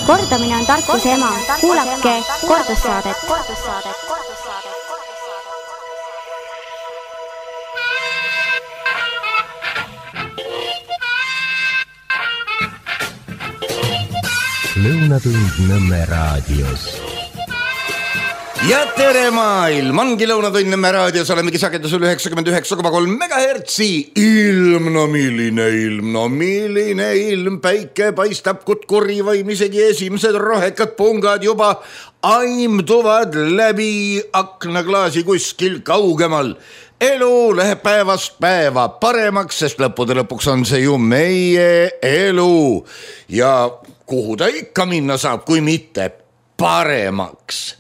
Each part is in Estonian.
Kordamine on tarkuse ema. Kuulake kordussaadet. Lõunatund Nõmme raadios. Ja tere maailm, ongi Lõunatund Nõmme raadios, olemegi sagedusel 99,3 megahertsi. Ilm, no milline ilm, päike paistab kutkuri vaim, isegi esimesed rohekad pungad juba aimduvad läbi aknaklaasi kuskil kaugemal. Elu läheb päevast päeva paremaks, sest lõppude lõpuks on see ju meie elu. Ja kuhu ta ikka minna saab, kui mitte paremaks.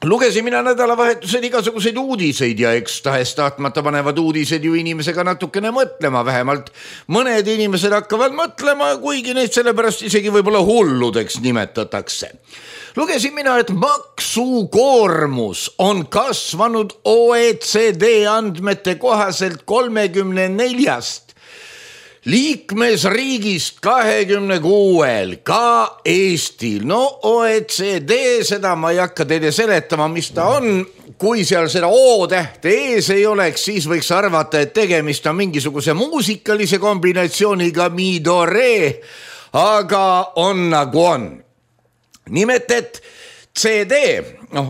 Lugesin mina nädalavahetusel igasuguseid uudiseid ja eks tahes-tahtmata panevad uudised ju inimesega natukene mõtlema, vähemalt mõned inimesed hakkavad mõtlema, kuigi neid sellepärast isegi võib-olla hulludeks nimetatakse. Lugesin mina, et maksukoormus on kasvanud OECD andmete kohaselt 34 liikmesriigist 26, ka Eestil. No OECD, seda ma ei hakka teile seletama, mis ta on. Kui seal seda O-tähte ees ei oleks, siis võiks arvata, et tegemist on mingisuguse muusikalise kombinatsiooniga mi-do-re, aga on nagu on. Nimelt, et CD,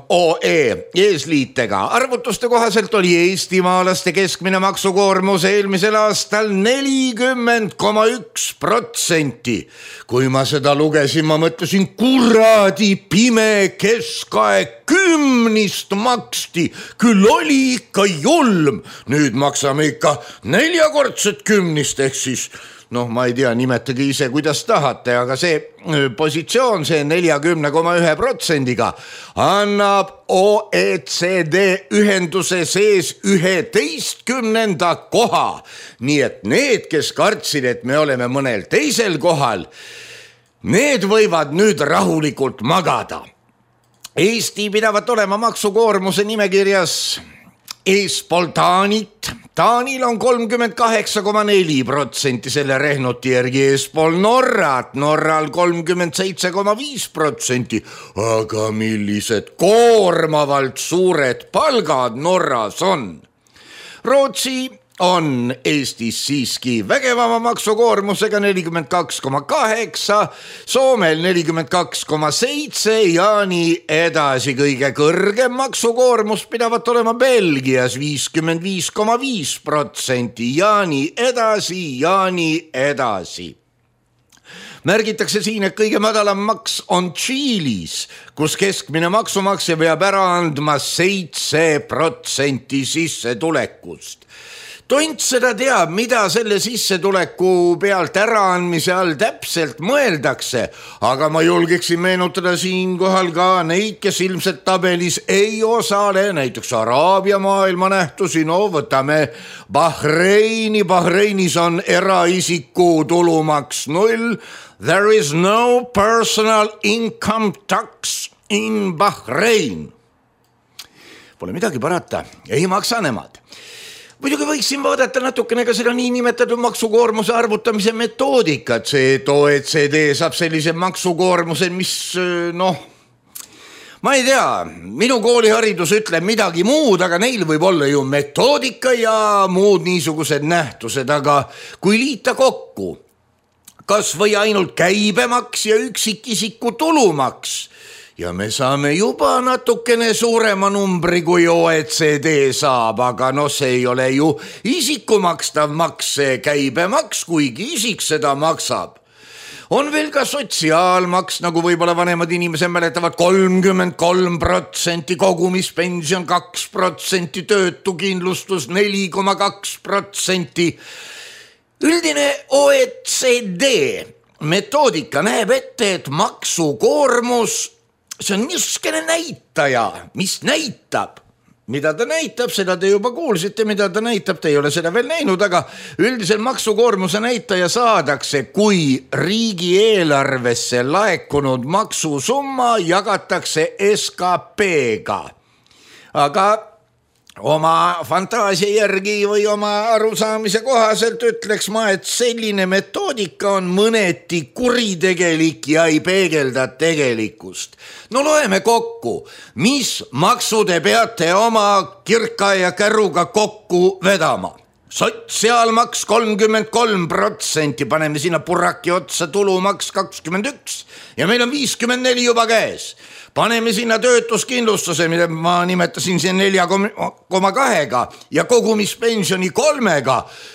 OE eesliitega arvutuste kohaselt oli eestimaalaste keskmine maksukoormus eelmisel aastal 40,1%. Kui ma seda lugesin, ma mõtlesin, kuradi pime keskaeg 10 maksti, küll oli ikka julm. Nüüd maksame ikka 4-kordset 10, ehk siis ma ei tea, nimetage ise, kuidas tahate, aga see positsioon, see 40,1%-ga annab OECD ühenduse sees 11. koha. Nii et need, kes kartsid, et me oleme mõnel teisel kohal, need võivad nüüd rahulikult magada. Eesti pidavat olema maksukoormuse nimekirjas eespool Taanit. Taanil on 38,4% selle rehnuti järgi, eespool Norrat, Norral 37,5%. Aga millised koormavalt suured palgad Norras on? Rootsi on Eestis siiski vägevama maksukoormusega 42,8, Soomel 42,7 ja nii edasi. Kõige kõrgem maksukoormus pidavat olema Belgias 55,5% ja nii edasi. Märgitakse siin, et kõige madalam maks on Tšiilis, kus keskmine maksumaksja peab ära andma 7% sissetulekust. Tont seda teab, mida selle sissetuleku pealt äraandmise all täpselt mõeldakse, aga ma julgeksin meenutada siinkohal ka neid, kes ilmselt tabelis ei osale, näiteks Araabia maailma nähtusi, võtame Bahreini. Bahreinis on eraisiku tulumaks 0. There is no personal income tax in Bahrein. Pole midagi parata, ei maksa nemad. Muidugi võiksin vaadata natukene ka seda niinimetatud maksukoormuse arvutamise metoodikat, see, et OECD saab sellise maksukoormuse, mis ma ei tea, minu kooliharidus ütleb midagi muud, aga neil võib olla ju metoodika ja muud niisugused nähtused, aga kui liita kokku kas või ainult käibemaks ja üksikisiku tulumaks, ja me saame juba natukene suurema numbri, kui OECD saab, aga see ei ole ju isiku makstav maks, see käibemaks, kuigi isik seda maksab. On veel ka sotsiaalmaks, nagu võib-olla vanemad inimesed mäletavad, 33%, kogumispension 2%, töötukindlustus 4,2%. Üldine OECD metoodika näeb ette, et maksukoormus, see on niisugune näitaja, mis näitab, mida ta näitab, seda te juba kuulsite, mida ta näitab, te ei ole seda veel näinud, aga üldiselt maksukoormuse näitaja saadakse, kui riigieelarvesse laekunud maksusumma jagatakse SKP-ga. Aga oma fantaasia järgi või oma arusaamise kohaselt ütleks ma, et selline metoodika on mõneti kuritegelik ja ei peegelda tegelikkust. No loeme kokku, mis maksu te peate oma kirka ja käruga kokku vedama. Sotsiaalmaks 33%, paneme sinna puraki otsa tulumaks 21% ja meil on 54 juba käes. Paneme sinna töötuskindlustuse, mida ma nimetasin siin 4,2 ja kogumispensioni 3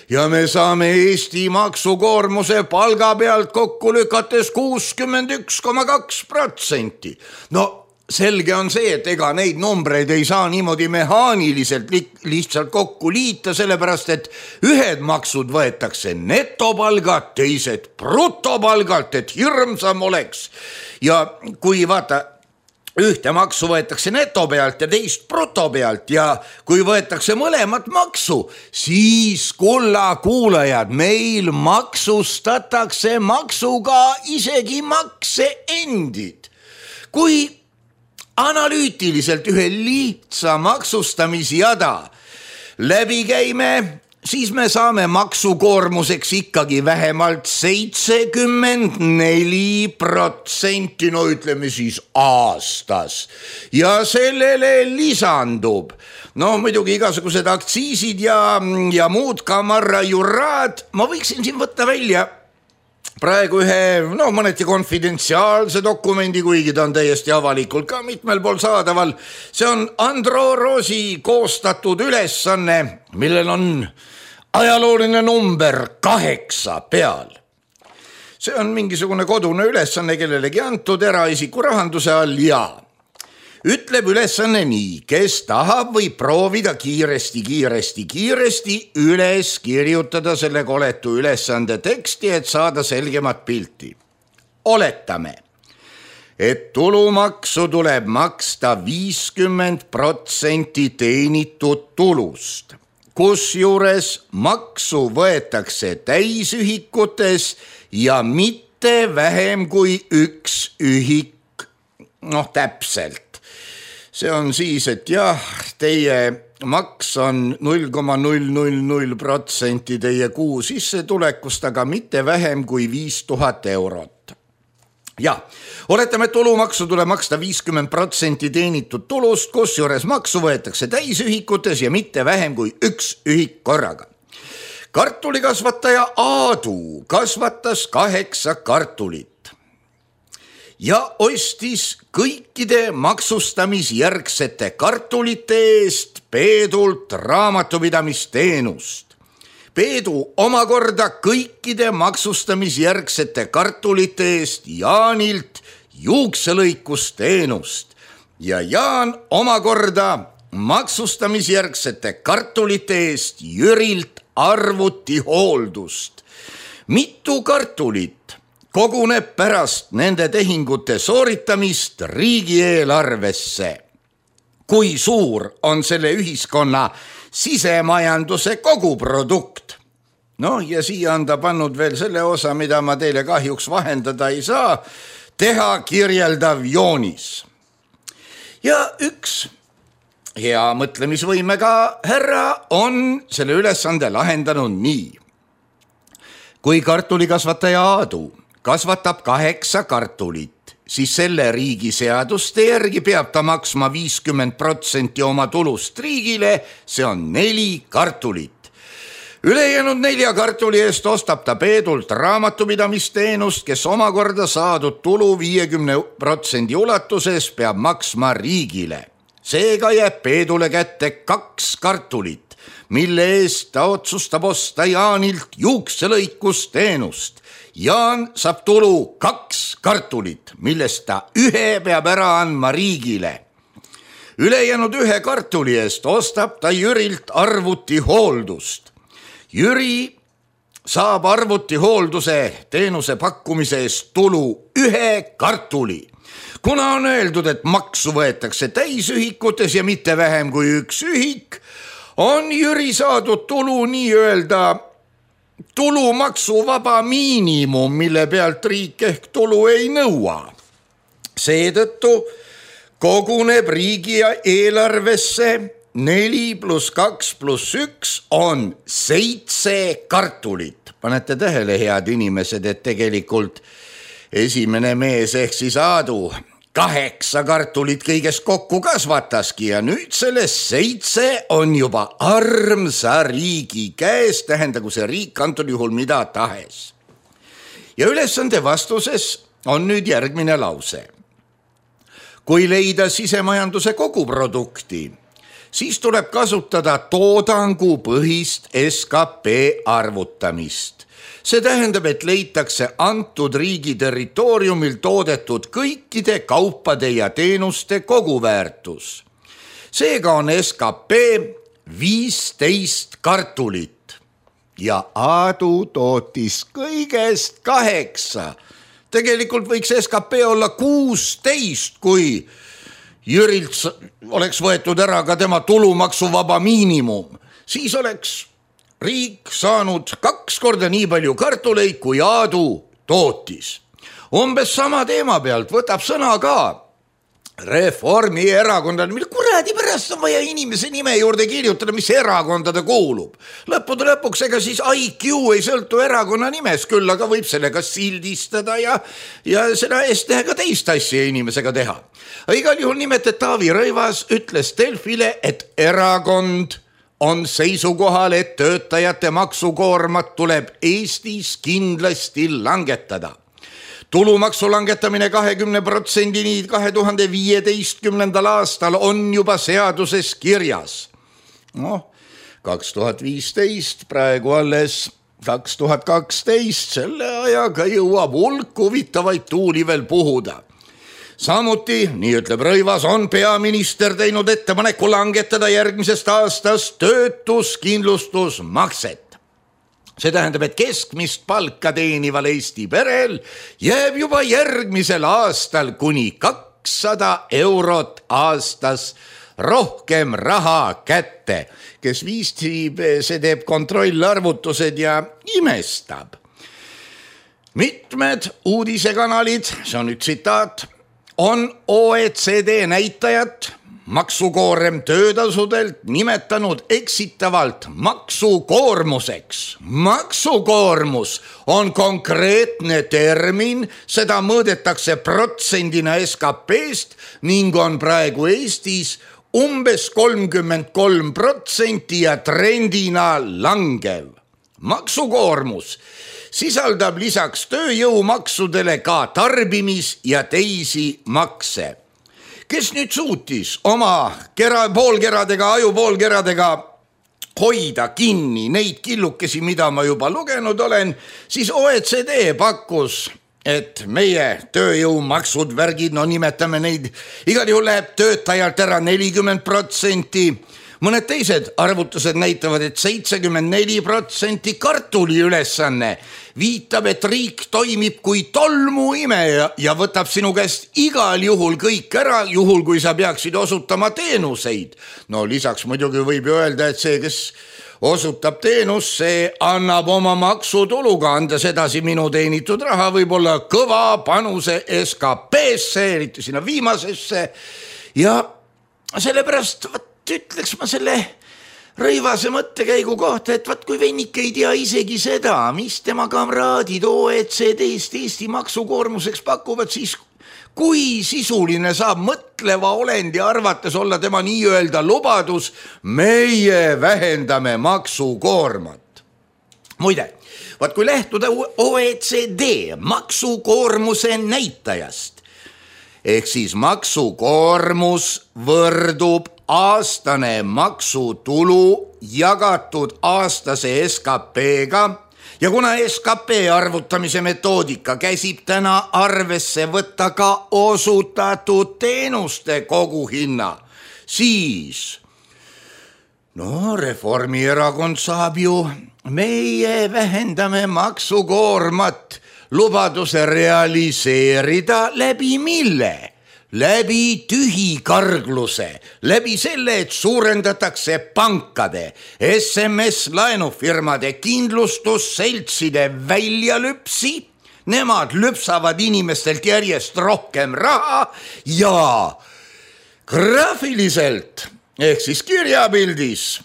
ja me saame Eesti maksukoormuse palga pealt kokku lükates 61,2%. No selge on see, et ega neid numbreid ei saa niimoodi mehaaniliselt lihtsalt kokku liita, sellepärast et ühed maksud võetakse netopalgalt, teised brutopalgalt, et hirmsam oleks. Ja kui vaata, ühte maksu võetakse neto pealt ja teist bruto pealt ja kui võetakse mõlemat maksu, siis kulla kuulajad, meil maksustatakse maksuga isegi makse endid. Kui analüütiliselt ühe lihtsa maksustamisjada läbi käime, siis me saame maksukoormuseks ikkagi vähemalt 74%, no ütleme siis aastas. Ja sellele lisandub, no muidugi igasugused aktsiisid ja muud kamarajuraad, ma võiksin siin võtta välja praegu ühe, mõneti konfidentsiaalse dokumendi, kuigi ta on täiesti avalikult ka mitmel pool saadaval. See on Andro Roosi koostatud ülesanne, millel on ajalooline number 8 peal. See on mingisugune kodune ülesanne kellelegi antud eraisiku rahanduse all ja ütleb ülesanne nii, kes tahab või proovida kiiresti üles kirjutada selle koletu ülesande teksti, et saada selgemat pilti. Oletame, et tulumaksu tuleb maksta 50% teenitud tulust, kusjuures maksu võetakse täisühikutes ja mitte vähem kui 1 ühik, täpselt. See on siis, et jah, teie maks on 0,000% teie kuu sissetulekust, aga mitte vähem kui 5000 eurot. Ja, oletame, et tulumaksu tuleb maksta 50% teenitud tulust, kusjuures maksu võetakse täisühikutes ja mitte vähem kui 1 ühik korraga. Kartulikasvataja Aadu kasvatas 8 kartulit ja ostis kõikide maksustamisjärgsete kartulite eest Peedult raamatupidamisteenust. Peedu omakorda kõikide maksustamisjärgsete kartulite eest Jaanilt juukselõikusteenust ja Jaan omakorda maksustamisjärgsete kartulite eest Jürilt arvutihooldust. Mitu kartulit koguneb pärast nende tehingute sooritamist riigieelarvesse? Kui suur on selle ühiskonna sisemajanduse koguprodukt? Ja siia on ta pannud veel selle osa, mida ma teile kahjuks vahendada ei saa, teha kirjeldav joonis. Ja üks hea mõtlemisvõimega härra on selle ülesande lahendanud nii. Kui kartulikasvataja Aadu kasvatab 8 kartulit, siis selle riigi seaduste järgi peab ta maksma 50% oma tulust riigile, see on 4 kartulit. Ülejäänud 4 kartuli eest ostab ta Peedult raamatupidamisteenust, kes omakorda saadud tulu 50% ulatuses peab maksma riigile. Seega jääb Peedule kätte 2 kartulit, mille eest ta otsustab osta Jaanilt juukselõikusteenust. Jaan saab tulu 2 kartulit, millest ta 1 peab ära andma riigile. Ülejäänud 1 kartuli eest ostab ta Jürilt arvutihooldust. Jüri saab arvutihoolduse teenuse pakkumise eest tulu 1 kartuli. Kuna on öeldud, et maksu võetakse täisühikutes ja mitte vähem kui 1 ühik, on Jüri saadud tulu nii-öelda tulumaksuvaba miinimum, mille pealt riik ehk tulu ei nõua. Seetõttu koguneb riigieelarvesse 4 + 2 + 1 on 7 kartulit. Panete tähele, head inimesed, et tegelikult esimene mees ehk siis Aadu 8 kartulit kõigest kokku kasvataski ja nüüd sellest 7 on juba armsa riigi käes, tähendagu see riik antud juhul mida tahes. Ja ülesande vastuses on nüüd järgmine lause. Kui leida sisemajanduse koguprodukti, siis tuleb kasutada toodangupõhist SKP arvutamist. See tähendab, et leitakse antud riigi territooriumil toodetud kõikide kaupade ja teenuste koguväärtus. Seega on SKP 15 kartulit ja Aadu tootis kõigest 8. Tegelikult võiks SKP olla 16, kui Jürilt oleks võetud ära ka tema tulumaksuvaba miinimum. Siis oleks riik saanud 2 korda nii palju kartuleid, kui Aadu tootis. Umbes sama teema pealt võtab sõna ka Reformierakondade, mille kuradi pärast on vaja inimese nime juurde kirjutada, mis erakonda ta kuulub. Lõppude lõpuks ega siis IQ ei sõltu erakonna nimes, küll aga võib sellega sildistada ja seda eest teha ka teist asja inimesega teha. Igal juhul nimetet Taavi Rõivas ütles Delfile, et erakond on seisukohal, et töötajate maksukoormat tuleb Eestis kindlasti langetada. Tulumaksu langetamine 20%-ni 2015. aastal on juba seaduses kirjas. 2015, praegu alles 2012, selle ajaga jõuab hulk huvitavaid tuuli veel puhuda. Samuti, nii ütleb Rõivas, on peaminister teinud ettepaneku langetada järgmisest aastast töötuskindlustusmakset. See tähendab, et keskmist palka teenival Eesti perel jääb juba järgmisel aastal kuni 200 eurot aastas rohkem raha kätte. Kes viistib, see teeb kontrollarvutused ja imestab. Mitmed uudisekanalid, see on nüüd tsitaat, on OECD näitajat maksukoorem töötasudelt nimetanud eksitavalt maksukoormuseks. Maksukoormus on konkreetne termin, seda mõõdetakse protsendina SKP-st ning on praegu Eestis umbes 33% ja trendina langev. Maksukoormus sisaldab lisaks tööjõumaksudele ka tarbimis- ja teisi makse. Kes nüüd suutis oma ajupoolkeradega hoida kinni neid killukesi, mida ma juba lugenud olen, siis OECD pakkus, et meie tööjõumaksud, värgid, nimetame neid, igal juhul läheb töötajalt ära 40%, mõned teised arvutused näitavad, et 74% kartuli ülesanne viitab, et riik toimib kui tolmuimeja ja võtab sinu käest igal juhul kõik ära, juhul kui sa peaksid osutama teenuseid. Lisaks muidugi võib ju öelda, et see, kes osutab teenus, see annab oma maksutuluga, andes edasi minu teenitud raha, võib olla kõva panuse SKP-sse, eriti sinna viimasesse. Ja sellepärast ütleks ma selle Rõivase mõttekäigu kohta, et kui vennik ei tea isegi seda, mis tema kamraadid OECD-st Eesti maksukoormuseks pakuvad, siis kui sisuline saab mõtleva olendi arvates olla tema nii-öelda lubadus, meie vähendame maksukoormat. Muide, kui lähtuda OECD maksukoormuse näitajast, ehk siis maksukoormus võrdub aastane maksutulu jagatud aastase SKP-ga ja kuna SKP arvutamise metoodika käsib täna arvesse võtta ka osutatud teenuste koguhinna, siis Reformierakond saab ju meie vähendame maksukoormat lubaduse realiseerida läbi mille? Läbi tühikargluse, läbi selle, et suurendatakse pankade, SMS-laenufirmade, kindlustusseltside väljalüpsi, nemad lüpsavad inimestelt järjest rohkem raha ja graafiliselt ehk siis kirjapildis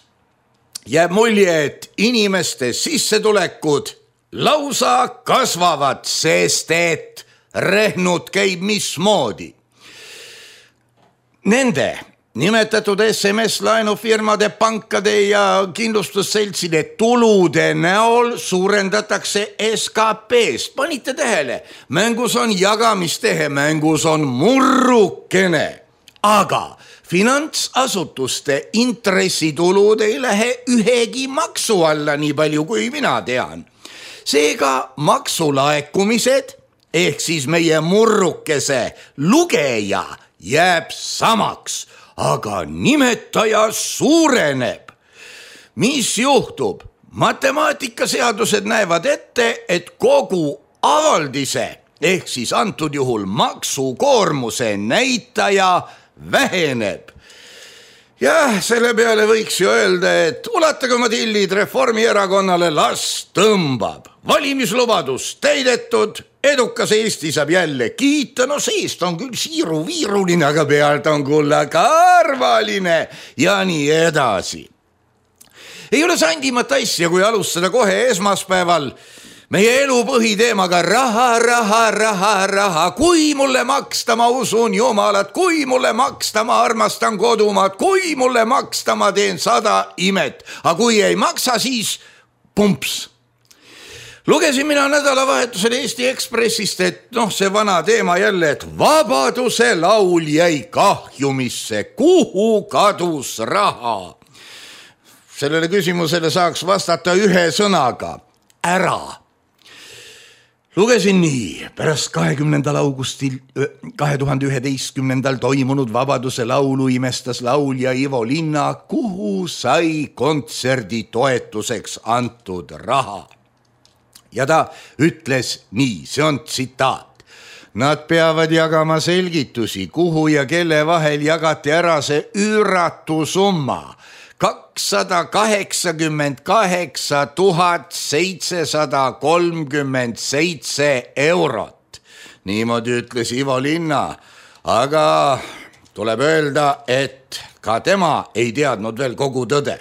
jääb mulje, et inimeste sissetulekud lausa kasvavad, sest et rehnud käib mismoodi. Nende nimetatud SMS-laenufirmade, pankade ja kindlustusseltside tulude näol suurendatakse SKP-st. Panite tähele, mängus on jagamistehe, mängus on murrukene, aga finantsasutuste intressitulud ei lähe ühegi maksu alla, nii palju kui mina tean. Seega maksulaekumised ehk siis meie murrukese lugeja jääb samaks, aga nimetaja suureneb. Mis juhtub? Matemaatikaseadused näevad ette, et kogu avaldise ehk siis antud juhul maksukoormuse näitaja väheneb. Jah, selle peale võiks ju öelda, et ulatage oma tillid Reformierakonnale, las tõmbab. Valimislubadus täidetud, edukas Eesti saab jälle kiita, no seest on küll siiru-viiruline, aga pealt on kullakarvaline ja nii edasi. Ei ole sandimat asja, kui alustada kohe esmaspäeval meie elu põhiteemaga raha. Kui mulle maksta, ma usun Jumalat, kui mulle maksta, ma armastan kodumaad, kui mulle maksta, ma teen 100 imet, aga kui ei maksa, siis pumps. Lugesin mina nädalavahetusel Eesti Ekspressist, et see vana teema jälle, et Vabaduse laul jäi kahjumisse, kuhu kadus raha. Sellele küsimusele saaks vastata ühe sõnaga, ära. Lugesin nii, pärast 20. augustil 2011. toimunud Vabaduse laulu imestas laulja Ivo Linna, kuhu sai kontserdi toetuseks antud raha. Ja ta ütles nii, see on tsitaat. Nad peavad jagama selgitusi, kuhu ja kelle vahel jagati ära see üüratu summa. 288 737 eurot. Niimoodi ütles Ivo Linna, aga tuleb öelda, et ka tema ei teadnud veel kogu tõde.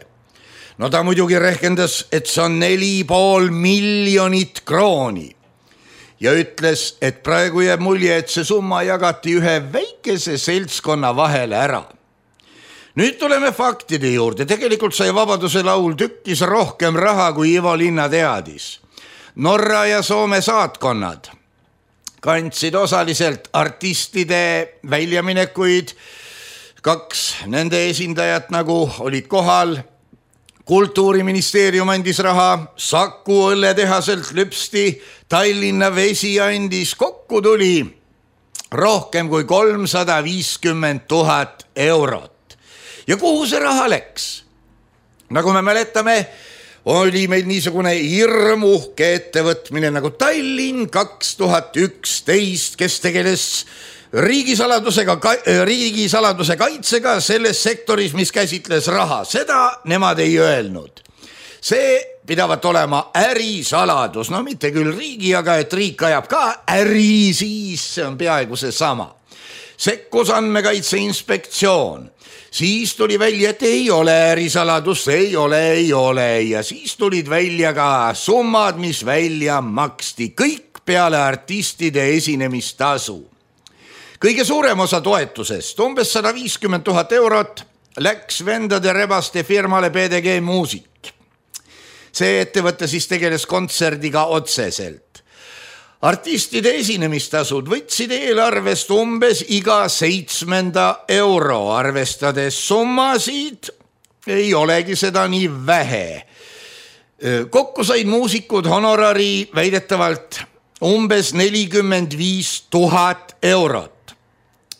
No ta muidugi rehkendas, et see on 4,5 miljonit krooni ja ütles, et praegu jääb mulje, et see summa jagati ühe väikese seltskonna vahele ära. Nüüd tuleme faktide juurde. Tegelikult sai Vabaduse laul tükkis rohkem raha, kui Ivo Linna teadis. Norra ja Soome saatkonnad kandsid osaliselt artistide väljaminekuid. 2 nende esindajat nagu olid kohal. Kultuuriministeerium andis raha, Saku õlletehaselt lüpsti, Tallinna Vesi andis, kokku tuli rohkem kui 350 000 eurot. Ja kuhu see raha läks? Nagu me mäletame, oli meil niisugune hirmuhke ettevõtmine nagu Tallinn 2011, kes tegeles riigisaladuse kaitsega selles sektoris, mis käsitles raha. Seda nemad ei öelnud. See pidavat olema ärisaladus, no mitte küll riigi, aga et riik ajab ka äri, siis see on peaaegu see sama. Sekkus Andmekaitse Inspektsioon. Siis tuli välja, et ei ole ärisaladus, ei ole. Ja siis tulid välja ka summad, mis välja maksti. Kõik peale artistide esinemistasu. Kõige suurem osa toetusest, umbes 150 000 eurot, läks vendade rebaste firmale PDG Muusik. See ettevõte siis tegeles kontserdiga otseselt. Artistide esinemistasud võtsid eelarvest umbes iga 7. euro, arvestades summasid ei olegi seda nii vähe. Kokku said muusikud honorari väidetavalt umbes 45 000 eurot.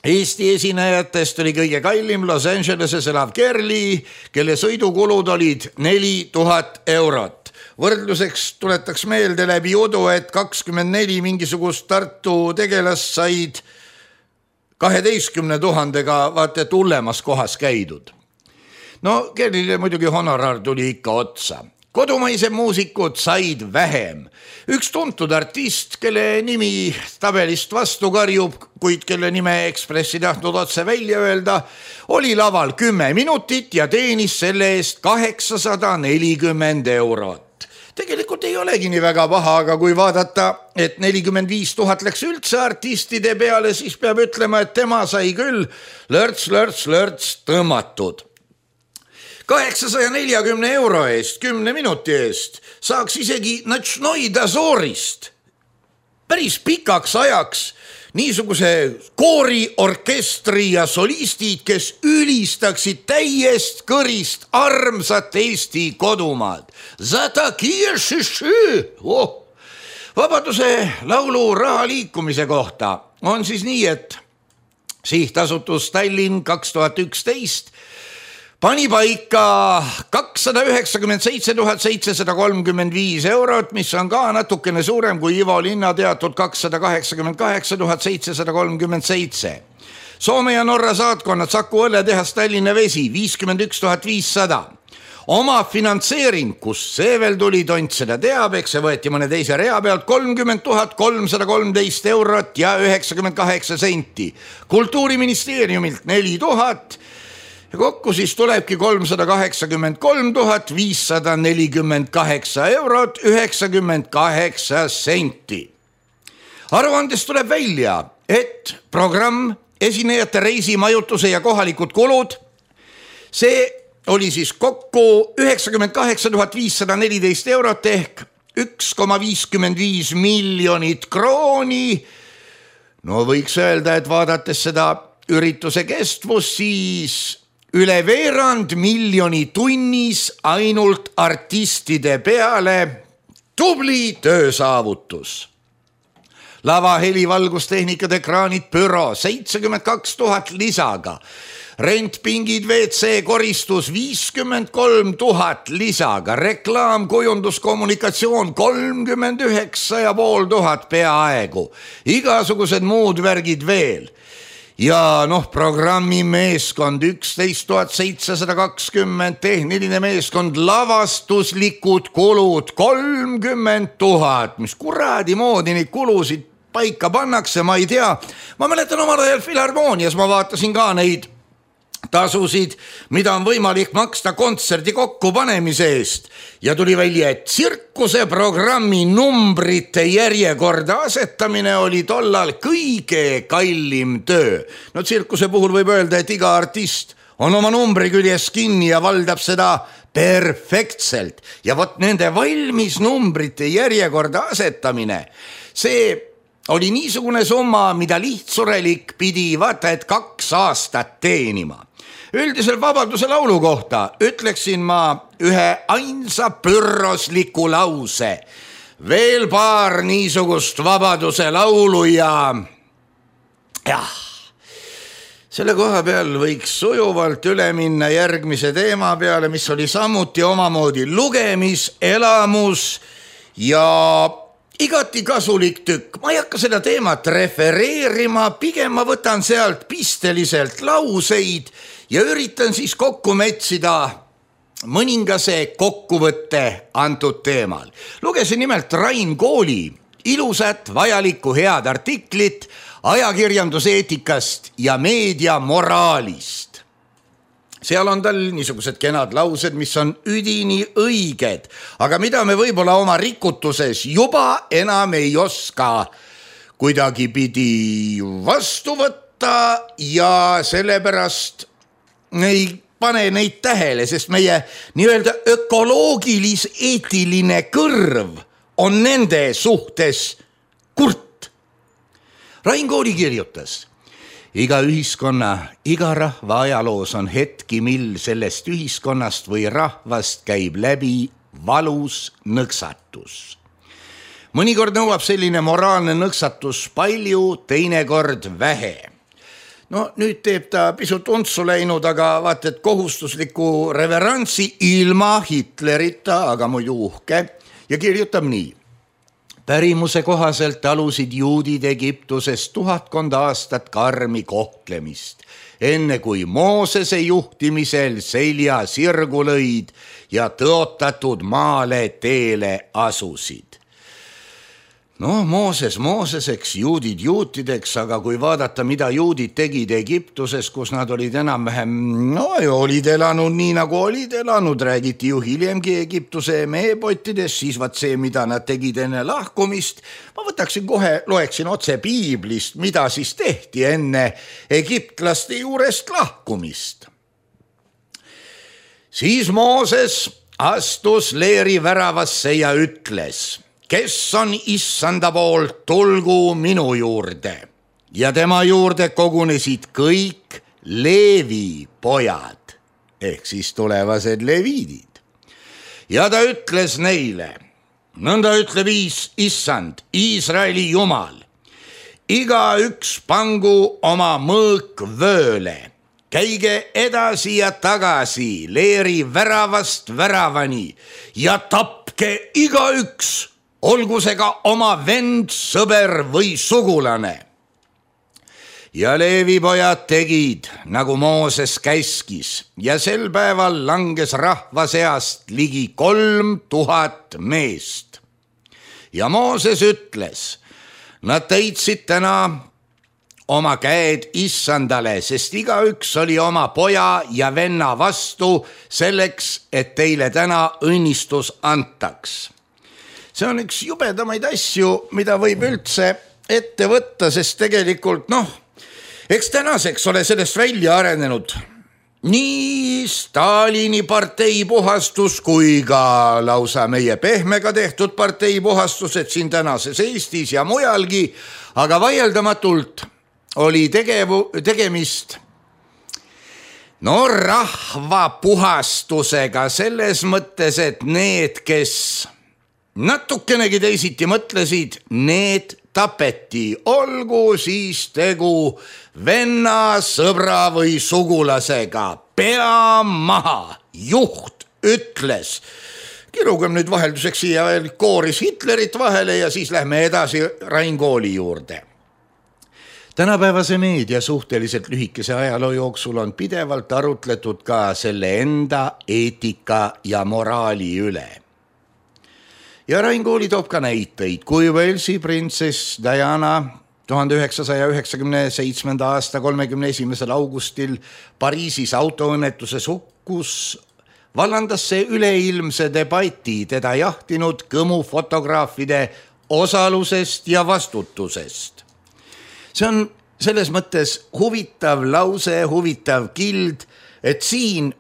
Eesti esinejatest oli kõige kallim Los Angeleses elav Kerli, kelle sõidukulud olid 4000 eurot. Võrdluseks tuletaks meelde läbi udu, et 24 mingisugust Tartu tegelast said 12 000-ga vaata tullemas kohas käidud. No Kerlile muidugi honorar tuli ikka otsa. kodumaised muusikud said vähem. Üks tuntud artist, kelle nimi tabelist vastu karjub, kuid kelle nime Ekspress ei tahtnud otse välja öelda, oli laval 10 minutit ja teenis selle eest 840 eurot. Tegelikult ei olegi nii väga paha, aga kui vaadata, et 45 000 läks üldse artistide peale, siis peab ütlema, et tema sai küll lörts tõmmatud. 840 euro eest, 10 minuti eest saaks isegi Notšnoi Dazorist päris pikaks ajaks niisuguse koori, orkestri ja solistid, kes ülistaksid täiest kõrist armsat Eesti kodumaad. Vabaduse laulu raha liikumise kohta on siis nii, et sihtasutus Tallinn 2011 pani paika 297 735 eurot, mis on ka natukene suurem kui Ivo Linna teatud 288 737. Soome ja Norra saatkonnad, Saku õlletehas, Tallinna Vesi 51 500. Oma finantseering, kus see veel tuli, tont seda teab, eks see võeti mõne teise rea pealt 30 313 eurot ja 98 senti. Kultuuriministeeriumilt 4000 ja kokku siis tulebki 383 548 eurot 98 senti. Aruandest tuleb välja, et programm, esinejate reisi, majutuse ja kohalikud kulud, see oli siis kokku 98 514 eurot ehk 1,55 miljonit krooni. No võiks öelda, et vaadates seda ürituse kestvus, siis üle veerand miljoni tunnis ainult artistide peale. Tubli töösaavutus. Lava, heli, valgustehnikad, ekraanid, büro 72 000 lisaga. Rent, pingid, WC, koristus 53 000 lisaga. Reklaam, kujundus, kommunikatsioon 39 500 peaaegu. Igasugused muud värgid veel. Ja programmi meeskond 11 720, tehniline meeskond, lavastuslikud kulud 30 000, mis kuradi moodi neid kulusid paika pannakse, ma ei tea. Ma mäletan omal ajal Filharmoonias, ma vaatasin ka neid tasusid, mida on võimalik maksta kontserdi kokkupanemise eest ja tuli välja, et tsirkuse programmi numbrite järjekorda asetamine oli tollal kõige kallim töö. No tsirkuse puhul võib öelda, et iga artist on oma numbri küljes kinni ja valdab seda perfektselt ja vot nende valmis numbrite järjekorda asetamine, see oli niisugune summa, mida lihtsurelik pidi vaata, et 2 aastat teenima. Üldiselt Vabaduse laulu kohta ütleksin ma ühe ainsa pürrosliku lause. Veel paar niisugust Vabaduse laulu ja selle koha peal võiks sujuvalt üle minna järgmise teema peale, mis oli samuti omamoodi lugemiselamus ja igati kasulik tükk. Ma ei hakka seda teemat refereerima, pigem ma võtan sealt pisteliselt lauseid ja üritan siis kokku metsida mõningase kokkuvõtte antud teemal. Lugesin nimelt Rain Kooli ilusat, vajalikku, head artiklit ajakirjanduseetikast ja meediamoraalist. Seal on tal niisugused kenad laused, mis on üdini õiged, aga mida me võib-olla oma rikutuses juba enam ei oska kuidagipidi vastu võtta ja sellepärast ei pane neid tähele, sest meie nii-öelda ökoloogilis-eetiline kõrv on nende suhtes kurt. Rain Kooli kirjutas: iga ühiskonna, iga rahva ajaloos on hetki, mil sellest ühiskonnast või rahvast käib läbi valus nõksatus. Mõnikord nõuab selline moraalne nõksatus palju, teinekord vähe. No nüüd teeb ta pisut untsu läinud, aga vaata, et kohustusliku reverantsi ilma Hitlerita, aga muidu uhke, ja kirjutab nii. Pärimuse kohaselt alusid juudid Egiptuses 1000 aastat karmi kohtlemist, enne kui Moosese juhtimisel selja sirgu lõid ja tõotatud maale teele asusid. Mooseseks, juudid juutideks, aga kui vaadata, mida juudid tegid Egiptuses, kus nad olid enam-vähem, olid elanud nii, nagu olid elanud, räägiti ju hiljemgi Egiptuse meepottides, siis vaat see, mida nad tegid enne lahkumist, ma võtaksin kohe, loeksin otse piiblist, mida siis tehti enne egiptlaste juurest lahkumist. Siis Mooses astus leeri väravasse ja ütles: kes on issanda poolt, tulgu minu juurde. Ja tema juurde kogunesid kõik Leevi pojad, ehk siis tulevased leviidid. Ja ta ütles neile, nõnda ütleb issand, Iisraeli Jumal, igaüks pangu oma mõõk vööle, käige edasi ja tagasi leeri väravast väravani ja tapke igaüks, olgu see ka oma vend, sõber või sugulane. Ja Leevi pojad tegid, nagu Mooses käskis, ja sel päeval langes rahva seast ligi 3000 meest. Ja Mooses ütles, nad täitsid täna oma käed issandale, sest igaüks oli oma poja ja venna vastu selleks, et teile täna õnnistus antaks. See on üks jubedamaid asju, mida võib üldse ette võtta, sest tegelikult eks tänaseks ole sellest välja arenenud nii Stalini partei puhastus kui ka lausa meie pehmega tehtud partei puhastused siin tänases Eestis ja mujalgi, aga vaieldamatult oli tegemist rahva puhastusega selles mõttes, et need, kes natukenegi teisiti mõtlesid, need tapeti, olgu siis tegu venna, sõbra või sugulasega. Pea maha, juht ütles. Kirugem nüüd vahelduseks siia veel kooris Hitlerit vahele ja siis lähme edasi Rain Kooli juurde. Tänapäevase meedia suhteliselt lühikese ajaloo jooksul on pidevalt arutletud ka selle enda eetika ja moraali üle. Ja Rain Kooli toob ka näiteid, kui Walesi printsess Diana 1997. aasta 31. augustil Pariisis autoõnnetuses hukkus, vallandas see üleilmse debati teda jahtinud kõmufotograafide osalusest ja vastutusest. See on selles mõttes huvitav lause, huvitav kild, et siin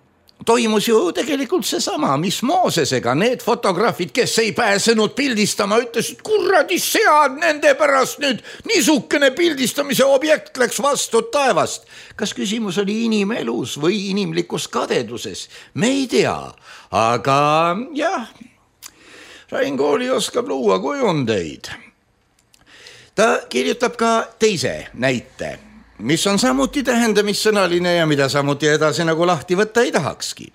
toimus ju tegelikult seesama, mis Moosesega, need fotograafid, kes ei pääsenud pildistama, ütlesid, kuradi sead, nende pärast nüüd niisugune pildistamise objekt läks vastu taevast. Kas küsimus oli inimelus või inimlikus kadeduses? Me ei tea, aga jah, Rain Kooli oskab luua kujundeid. Ta kirjutab ka teise näite, mis on samuti tähendamissõnaline ja mida samuti edasi nagu lahti võtta ei tahakski.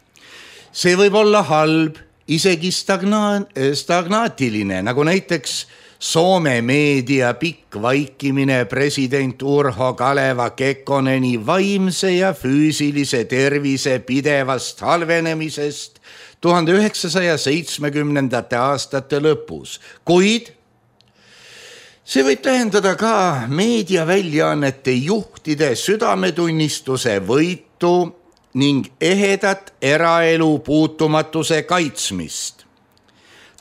See võib olla halb, isegi stagnaatiline, nagu näiteks Soome meedia pikk vaikimine president Urho Kaleva Kekkoneni vaimse ja füüsilise tervise pidevast halvenemisest 1970. aastate lõpus, kuid see võib tähendada ka meediaväljaannete juhtide südametunnistuse võitu ning ehedat eraelu puutumatuse kaitsmist.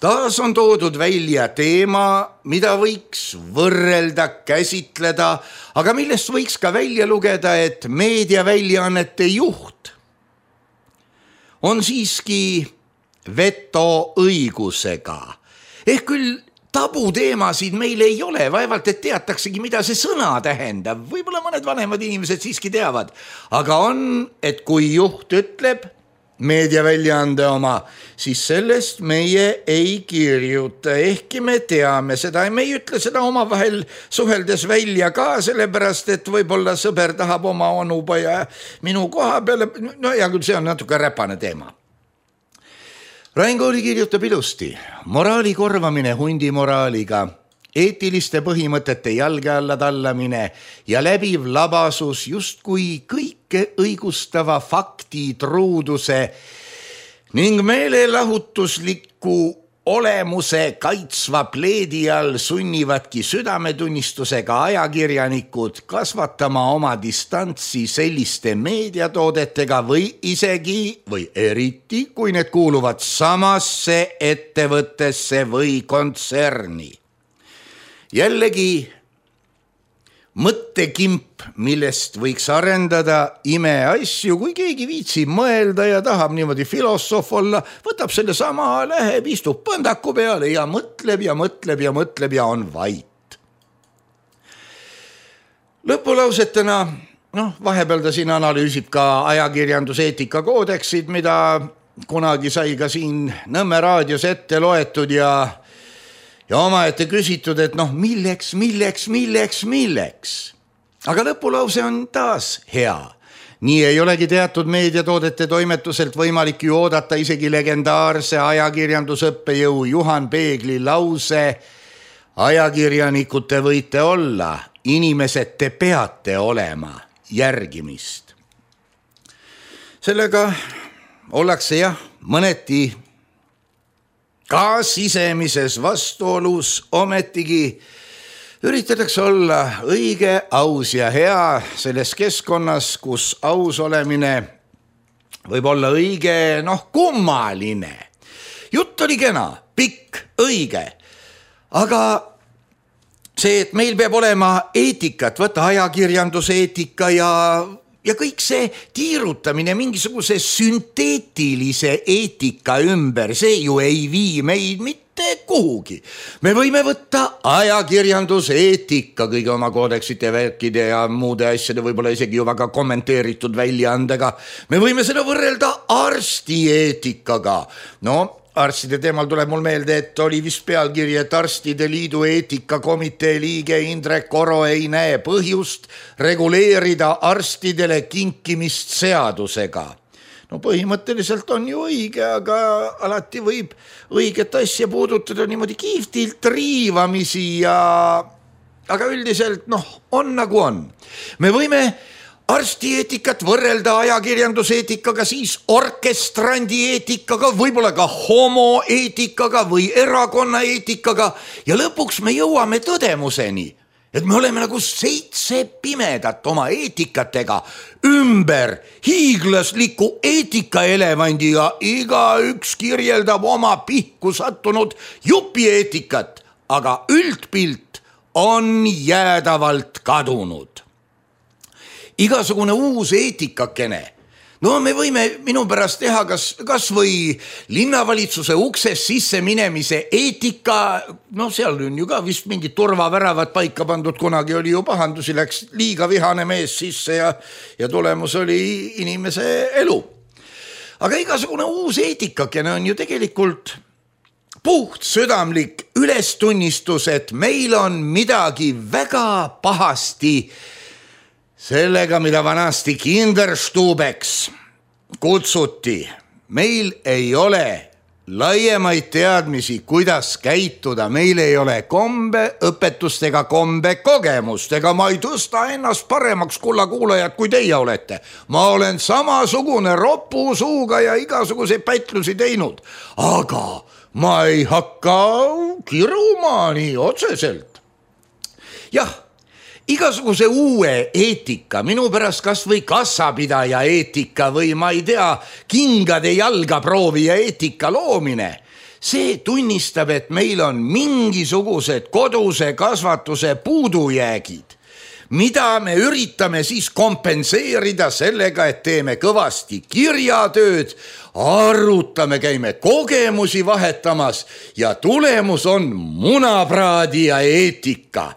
Taas on toodud välja teema, mida võiks võrrelda, käsitleda, aga millest võiks ka välja lugeda, et meediaväljaannete juht on siiski vetoõigusega. Ehk küll tabuteemasid meil ei ole, vaevalt et teataksegi, mida see sõna tähendab. Võib-olla mõned vanemad inimesed siiski teavad, aga on, et kui juht ütleb meediaväljaande oma, siis sellest meie ei kirjuta, ehkki me teame seda ja me ei ütle seda omavahel suheldes välja ka, sellepärast et võib-olla sõber tahab oma onupoja minu koha peale, no ja küll see on natuke räpane teema. Rain Kooli kirjutab ilusti: moraali korvamine hundi moraaliga, eetiliste põhimõtete jalge alla tallamine ja läbiv labasus justkui kõike õigustava fakti truuduse ning meelelahutusliku olemuse kaitsva pleedi all sunnivadki südametunnistusega ajakirjanikud kasvatama oma distantsi selliste meediatoodetega või isegi või eriti, kui need kuuluvad samasse ettevõttesse või kontserni. Jällegi mõttekimp, millest võiks arendada imeasju, kui keegi viitsib mõelda ja tahab niimoodi filosoof olla, võtab selle sama, läheb, istub põndaku peale ja mõtleb ja mõtleb ja mõtleb ja on vait. Lõpulausetena, vahepeal ta siin analüüsib ka ajakirjanduseetika koodeksid, mida kunagi sai ka siin Nõmme raadios ette loetud ja omaette küsitud, et milleks. Aga lõpulause on taas hea. Nii ei olegi teatud meediatoodete toimetuselt võimalik ju oodata isegi legendaarse ajakirjandusõppejõu Juhan Peegli lause: ajakirjanikud te võite olla, inimesed te peate olema, järgimist. Sellega ollakse mõneti ka sisemises vastuolus, ometigi üritatakse olla õige, aus ja hea selles keskkonnas, kus aus olemine võib olla õige, kummaline. Jutt oli kena, pikk, õige, aga see, et meil peab olema eetikat, võtta ajakirjanduseetika ja kõik see tiirutamine mingisuguse sünteetilise eetika ümber, see ju ei vii meid mitte kuhugi. Me võime võtta ajakirjanduseetika kõige oma koodeksite, värkide ja muude asjade, võib-olla isegi ju väga kommenteeritud väljaandega. Me võime seda võrrelda arstieetikaga. Arstide teemal tuleb mul meelde, et oli vist pealkiri, et Arstide Liidu eetikakomitee liige Indrek Oro ei näe põhjust reguleerida arstidele kinkimist seadusega. Põhimõtteliselt on ju õige, aga alati võib õiget asja puudutada niimoodi kihvtilt riivamisi aga üldiselt on nagu on. Me võime arstieetikat võrrelda ajakirjanduseetikaga, siis orkestrandi eetikaga, võib-olla ka homoeetikaga või erakonnaeetikaga ja lõpuks me jõuame tõdemuseni, et me oleme nagu 7 pimedat oma eetikatega ümber hiiglasliku eetikaelevandi ja igaüks kirjeldab oma pihku sattunud jupieetikat, aga üldpilt on jäädavalt kadunud. Igasugune uus eetikakene. Me võime minu pärast teha kas või linnavalitsuse ukses sisse minemise eetika, seal on ju ka vist mingid turvaväravad paika pandud, kunagi oli ju pahandusi, läks liiga vihane mees sisse ja tulemus oli inimese elu. Aga igasugune uus eetikakene on ju tegelikult puht südamlik ülestunnistus, et meil on midagi väga pahasti sellega, mida vanasti Kinderstubeks kutsuti. Meil ei ole laiemaid teadmisi, kuidas käituda, meil ei ole kombeõpetust ega kombekogemust, ega ma ei tõsta ennast paremaks, kullakuulajad, kui teie olete. Ma olen samasugune ropu suuga ja igasuguseid pätlusi teinud, aga ma ei hakka kiruma nii otseselt. Jah, igasuguse uue eetika, minu pärast kas või kassapidaja eetika või ma ei tea, kingade jalga proovija eetika loomine, see tunnistab, et meil on mingisugused koduse kasvatuse puudujäägid, mida me üritame siis kompenseerida sellega, et teeme kõvasti kirjatööd, arutame, käime kogemusi vahetamas ja tulemus on munapraadija eetika.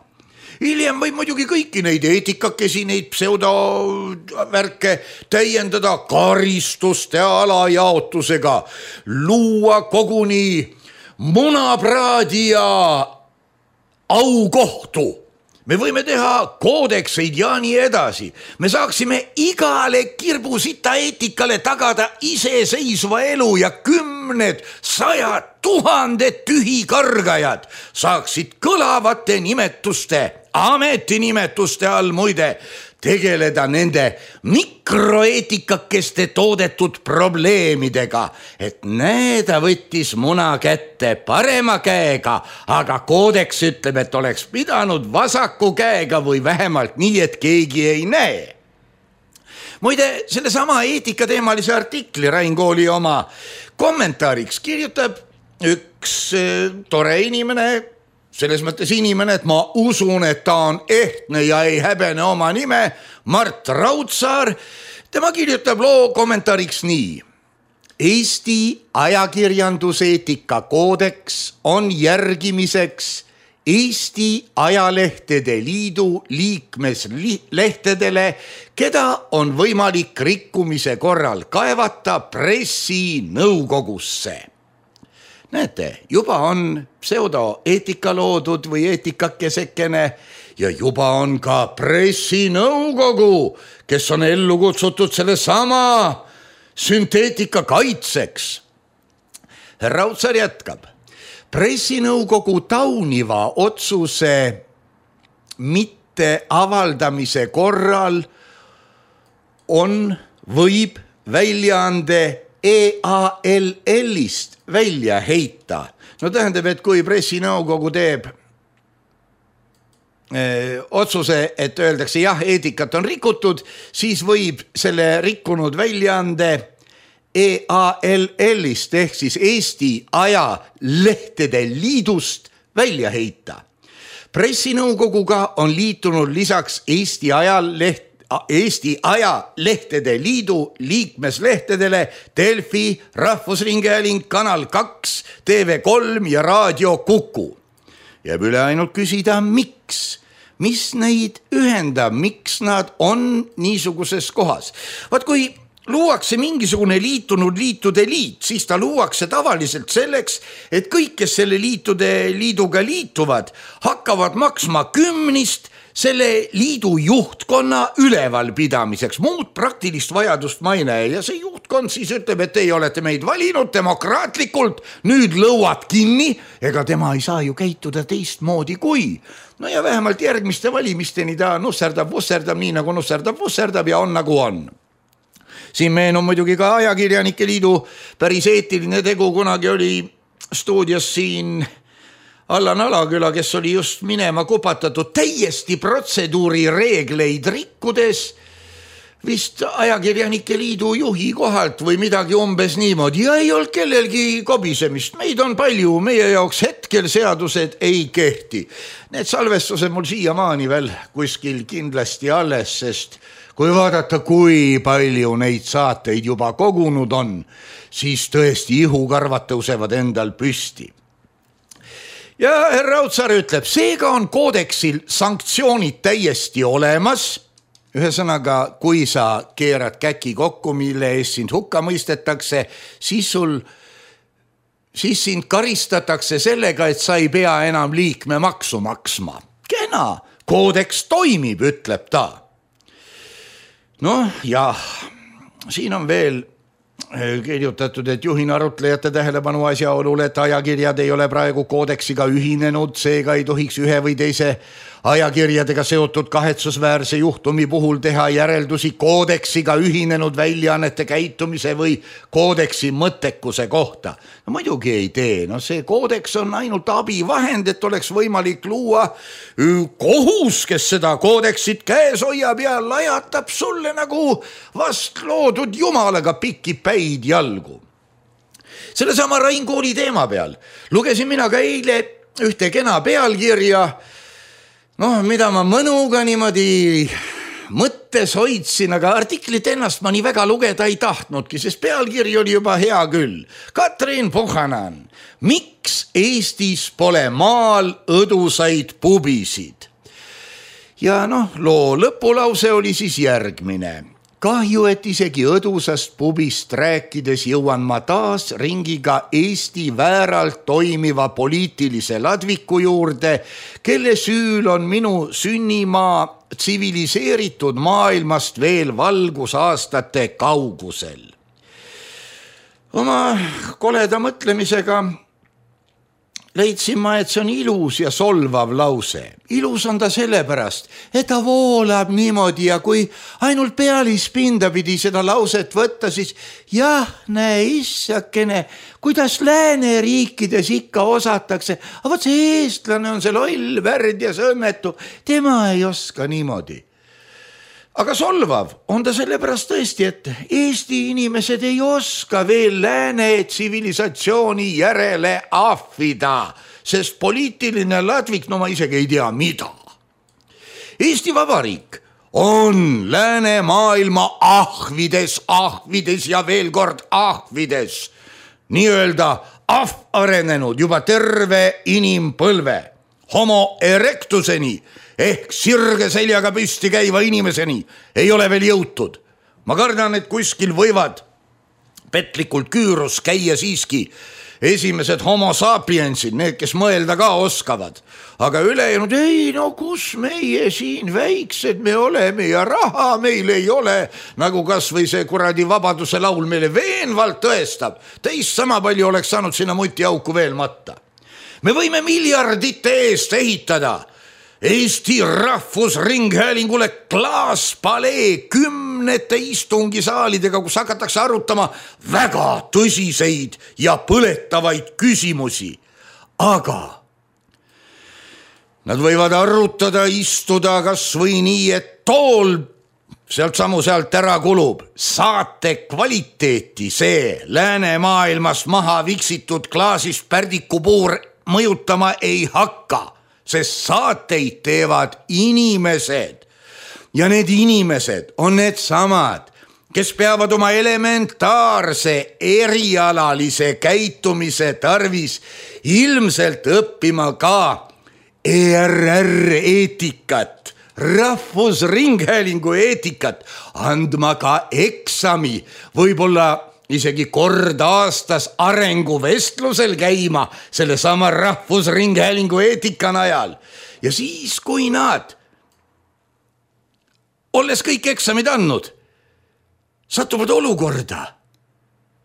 Hiljem võib muidugi kõiki neid eetikakesi, neid pseudovärke täiendada karistuste alajaotusega, luua koguni munapraadija aukohtu. Me võime teha koodekseid ja nii edasi. Me saaksime igale kirbusita eetikale tagada iseseisva elu ja 10 kümned, 100 000 tühikargajad saaksid kõlavate nimetuste, ametinimetuste all muide, tegeleda nende mikroeetikakeste toodetud probleemidega, et näeda võttis muna kätte parema käega, aga koodeks ütleb, et oleks pidanud vasaku käega või vähemalt nii, et keegi ei näe. Muide, sellesama eetikateemalise artikli Rain Kooli oma kommentaariks kirjutab üks tore inimene, selles mõttes inimene, et ma usun, et ta on ehtne ja ei häbene oma nime, Mart Raudsaar. Tema kirjutab loo kommentaariks nii. Eesti ajakirjanduseetika koodeks on järgimiseks Eesti Ajalehtede Liidu liikmeslehtedele, keda on võimalik rikkumise korral kaevata pressinõukogusse. Näete, juba on pseudoeetika loodud või eetikakesekene ja juba on ka pressinõukogu, kes on ellu kutsutud selle sama sünteetika kaitseks. Raudsaar jätkab. Pressinõukogu tauniva otsuse mitte avaldamise korral võib väljaande EALL-ist välja heita. No tähendab, et kui pressinõukogu teeb otsuse, et öeldakse jah, eetikat on rikutud, siis võib selle rikkunud väljaande EALL-ist ehk siis Eesti Ajalehtede Liidust välja heita. Pressinõukoguga on liitunud lisaks Eesti Ajalehtede Liidu liikmeslehtedele Delfi, Rahvusringhääling, Kanal 2, TV3 ja Raadio Kuku. Jääb üle ainult küsida, miks? Mis neid ühendab, miks nad on niisuguses kohas? Vaat kui luuakse mingisugune liitunud liitude liit, siis ta luuakse tavaliselt selleks, et kõik, kes selle liiduga liituvad, hakkavad maksma 10 selle liidu juhtkonna ülevalpidamiseks. Muud praktilist vajadust ma ei näe ja see juhtkond siis ütleb, et teie olete meid valinud demokraatlikult, nüüd lõuad kinni, ega tema ei saa ju käituda teistmoodi kui. No ja vähemalt järgmiste valimisteni ta nusserdab, nii nagu nusserdab ja on nagu on. Siin meenub muidugi ka Ajakirjanike Liidu päris eetiline tegu, kunagi oli stuudios siin Allan Alaküla, kes oli just minema kupatatud täiesti protseduuri reegleid rikkudes vist Ajakirjanike Liidu juhi kohalt või midagi umbes niimoodi ja ei olnud kellelgi kobisemist. Meid on palju, meie jaoks hetkel seadused ei kehti. Need salvestused mul siiamaani veel kuskil kindlasti alles, sest kui vaadata, kui palju neid saateid juba kogunud on, siis tõesti ihukarvad tõusevad endal püsti. Ja härra Raudsaar ütleb, seega on koodeksil sanktsioonid täiesti olemas. Ühesõnaga, kui sa keerad käki kokku, mille eest sind hukka mõistetakse, siis sind karistatakse sellega, et sa ei pea enam liikmemaksu maksma. Kena, koodeks toimib, ütleb ta. Noh, jah, siin on veel kirjutatud, et juhin arutlejate tähelepanu asjaolule, et ajakirjad ei ole praegu koodeksiga ühinenud, seega ei tohiks ühe või teise ajakirjadega seotud kahetsusväärse juhtumi puhul teha järeldusi koodeksiga ühinenud väljaannete käitumise või koodeksi mõttekuse kohta. No muidugi ei tee, no see koodeks on ainult abivahend, et oleks võimalik luua kohus, kes seda koodeksit käes hoiab ja lajatab sulle nagu vast loodud jumalaga pikki päid jalgu. Sellesama Rain Kooli teema peal lugesin mina ka eile ühte kena pealkirja, mida ma mõnuga niimoodi mõttes hoidsin, aga artiklit ennast ma nii väga lugeda ei tahtnudki, sest pealkiri oli juba hea küll. Katrin Puhanan, miks Eestis pole maal õdusaid pubisid? Ja loo lõpulause oli siis järgmine. Kahju, et isegi õdusast pubist rääkides jõuan ma taas ringiga Eesti vääralt toimiva poliitilise ladviku juurde, kelle süül on minu sünnimaa tsiviliseeritud maailmast veel valgusaastate kaugusel. Oma koleda mõtlemisega leidsin ma, et see on ilus ja solvav lause. Ilus on ta sellepärast, et ta voolab niimoodi ja kui ainult pealispinda pidi seda lauset võtta, siis jah, näe issakene, kuidas lääneriikides ikka osatakse. Aga võt see eestlane on see loll, värd ja sõmmetu, tema ei oska niimoodi. Aga solvav on ta sellepärast tõesti, et Eesti inimesed ei oska veel lääne tsivilisatsiooni järele ahvida, sest poliitiline ladvik, no ma isegi ei tea mida. Eesti Vabariik on lääne maailma ahvides ja veel kord ahvides, nii-öelda arenenud juba terve inimpõlve, homo erectuseni ehk sirge seljaga püsti käiva inimeseni ei ole veel jõutud. Ma kardan, et kuskil võivad petlikult küürus käia siiski esimesed homo sapiensid, need, kes mõelda ka oskavad. Aga ülejäänud, ei no kus meie siin väiksed me oleme ja raha meil ei ole, nagu kas või see kuradi Vabaduse laul meile veenvalt tõestab. Teist sama palju oleks saanud sinna mutiauku veel matta. Me võime miljardite eest ehitada Eesti Rahvusringhäälingule klaaspalee 10 istungisaalidega, kus hakatakse arutama väga tõsiseid ja põletavaid küsimusi. Aga nad võivad arutada, istuda kas või nii, et tool sealt ära kulub. Saate kvaliteeti see lääne maailmas maha viksitud klaasist pärdikupuur mõjutama ei hakka. Sest saateid teevad inimesed ja need inimesed on need samad, kes peavad oma elementaarse erialalise käitumise tarvis ilmselt õppima ka ERR eetikat, Rahvusringhäälingu eetikat, andma ka eksami, võib-olla isegi kord aastas arenguvestlusel käima selle sama Rahvusringhäälingu eetika najal. Ja siis, kui nad, olles kõik eksamid andnud, satuvad olukorda,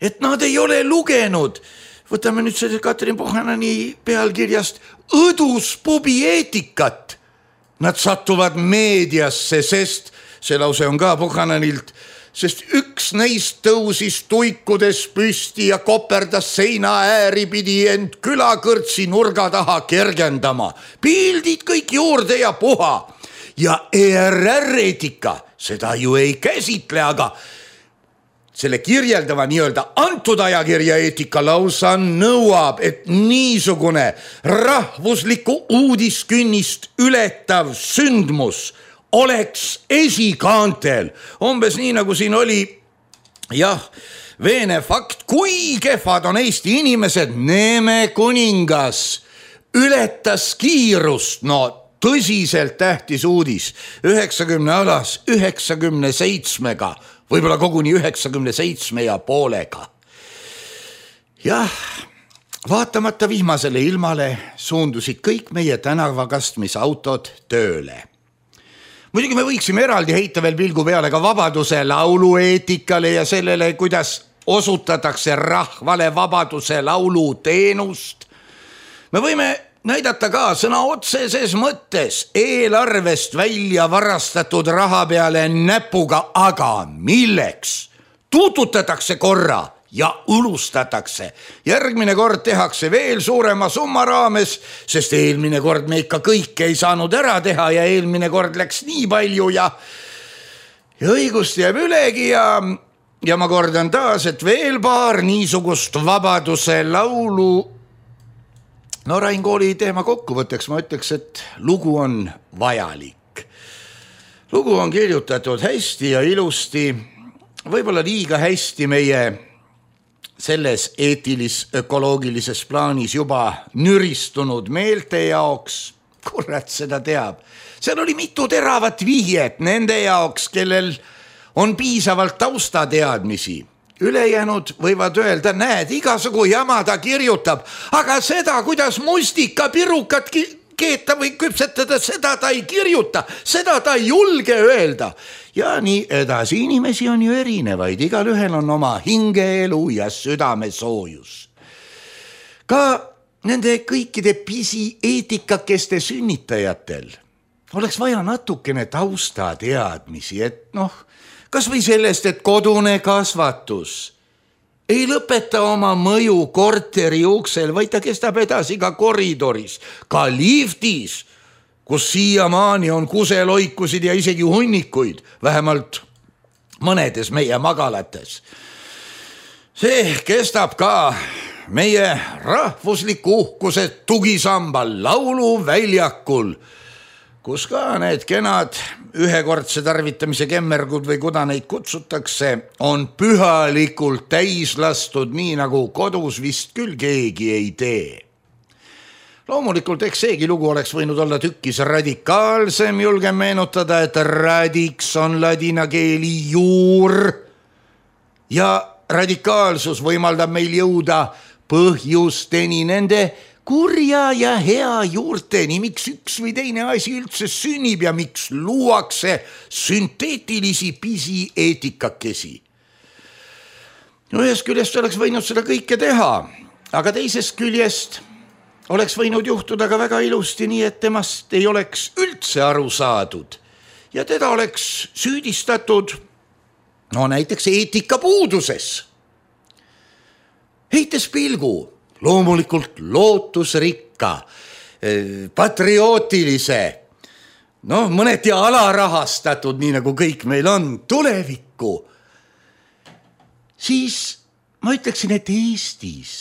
et nad ei ole lugenud, võtame nüüd selle Katrin Pohanani pealkirjast õduspubi eetikat. Nad satuvad meediasse, sest see lause on ka Pohananilt, sest üks neist tõusis tuikudes püsti ja koperdas seina ääri pidi end külakõrtsi nurga taha kergendama. Pildid kõik juurde ja puha. Ja ERR eetika seda ju ei käsitle, aga selle kirjeldava nii-öelda antud ajakirja eetika lausa nõuab, et niisugune rahvuslikku uudiskünnist ületav sündmus oleks esikaantel. Umbes nii, nagu siin oli, jah, veene fakt, kui kehvad on Eesti inimesed. Neeme kuningas ületas kiirust, no tõsiselt tähtis uudis, 90 alas 97-ga, võib-olla koguni 97,5. Jah, vaatamata vihmasele ilmale suundusid kõik meie tänavakastmisautod tööle. Muidugi me võiksime eraldi heita veel pilgu peale ka Vabaduse laulu eetikale ja sellele, kuidas osutatakse rahvale Vabaduse laulu teenust. Me võime näidata ka sõna otseses mõttes eelarvest välja varastatud raha peale näpuga, aga milleks? Tuututatakse korra ja ulustatakse. Järgmine kord tehakse veel suurema summa raames, sest eelmine kord me ikka kõike ei saanud ära teha ja eelmine kord läks nii palju ja õigust jääb ülegi ja ma kordan taas, et veel paar niisugust Vabaduse laulu. No Rain Kooli teema kokkuvõtteks ma ütleks, et lugu on vajalik. Lugu on kirjutatud hästi ja ilusti, võib-olla liiga hästi meie selles eetilis-ökoloogilises plaanis juba nüristunud meelte jaoks. Kurat seda teab. Seal oli mitu teravat vihjet nende jaoks, kellel on piisavalt taustateadmisi. Ülejäänud võivad öelda, näed, igasugu jama ta kirjutab, aga seda, kuidas mustikapirukat keeta või küpsetada, seda ta ei kirjuta, seda ta ei julge öelda. Ja nii edasi, inimesi on ju erinevaid, igal ühel on oma hingeelu ja südamesoojus. Ka nende kõikide pisieetikakeste sünnitajatel oleks vaja natukene taustateadmisi, et kas või sellest, et kodune kasvatus ei lõpeta oma mõju korteri uksel, vaid ta kestab edasi ka koridoris, ka liftis, kus siiamaani on kuseloikusid ja isegi hunnikuid, vähemalt mõnedes meie magalates. See kestab ka meie rahvusliku uhkuse tugisambal lauluväljakul, kus ka need kenad ühekordse tarvitamise kemmergud või kuda neid kutsutakse, on pühalikult täis lastud, nii nagu kodus vist küll keegi ei tee. Loomulikult eks seegi lugu oleks võinud olla tükkis radikaalsem, julgen meenutada, et radix on ladina keeli juur ja radikaalsus võimaldab meil jõuda põhjusteni, nende kurja ja hea juurteni, miks üks või teine asi üldse sünnib ja miks luuakse sünteetilisi pisieetikakesi. Ühest küljest oleks võinud seda kõike teha, aga teisest küljest oleks võinud juhtuda ka väga ilusti nii, et temast ei oleks üldse aru saadud ja teda oleks süüdistatud näiteks eetika puuduses. Heites pilgu loomulikult lootusrikka, patriootilise, mõneti alarahastatud, nii nagu kõik meil on, tulevikku, siis ma ütleksin, et Eestis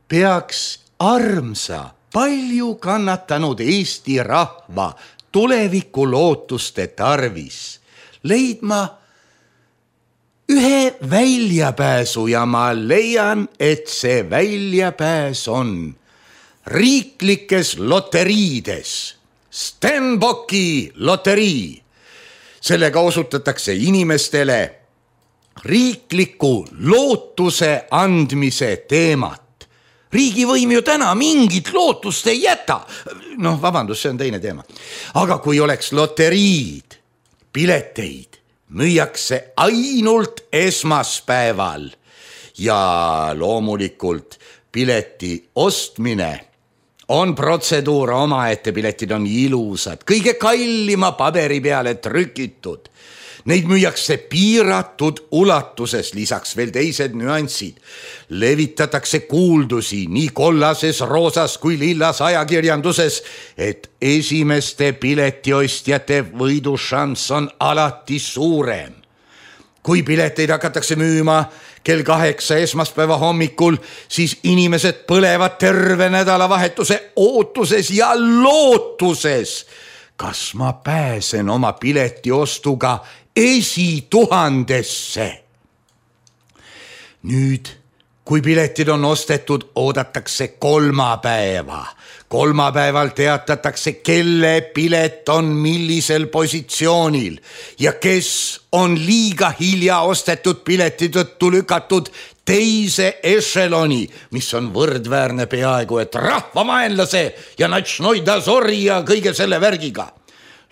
peaks armsa, palju kannatanud Eesti rahva tuleviku lootuste tarvis leidma ühe väljapääsu ja ma leian, et see väljapääs on riiklikes loteriides. Stenbocki loterii. Sellega osutatakse inimestele riikliku lootuse andmise teemat. Riigivõim ju täna mingit lootust ei jäta. Vabandust, see on teine teema. Aga kui oleks loteriid, pileteid, müüakse ainult esmaspäeval ja loomulikult pileti ostmine on protseduur omaette, piletid on ilusad, kõige kallima paberi peale trükitud. Neid müüakse piiratud ulatuses, lisaks veel teised nüansid. Levitatakse kuuldusi nii kollases, roosas kui lillas ajakirjanduses, et esimeste piletiostjate võidušanss on alati suurem. Kui pileteid hakatakse müüma kell 8 esmaspäeva hommikul, siis inimesed põlevad terve nädalavahetuse ootuses ja lootuses. Kas ma pääsen oma piletiostuga esituhandesse? Nüüd, kui piletid on ostetud, oodatakse kolmapäeva. Kolmapäeval teatatakse, kelle pilet on millisel positsioonil ja kes on liiga hilja ostetud pileti tõttu lükatud teise ešeloni, mis on võrdväärne peaaegu et rahvamaenlase ja natšnoi dazori ja kõige selle värgiga.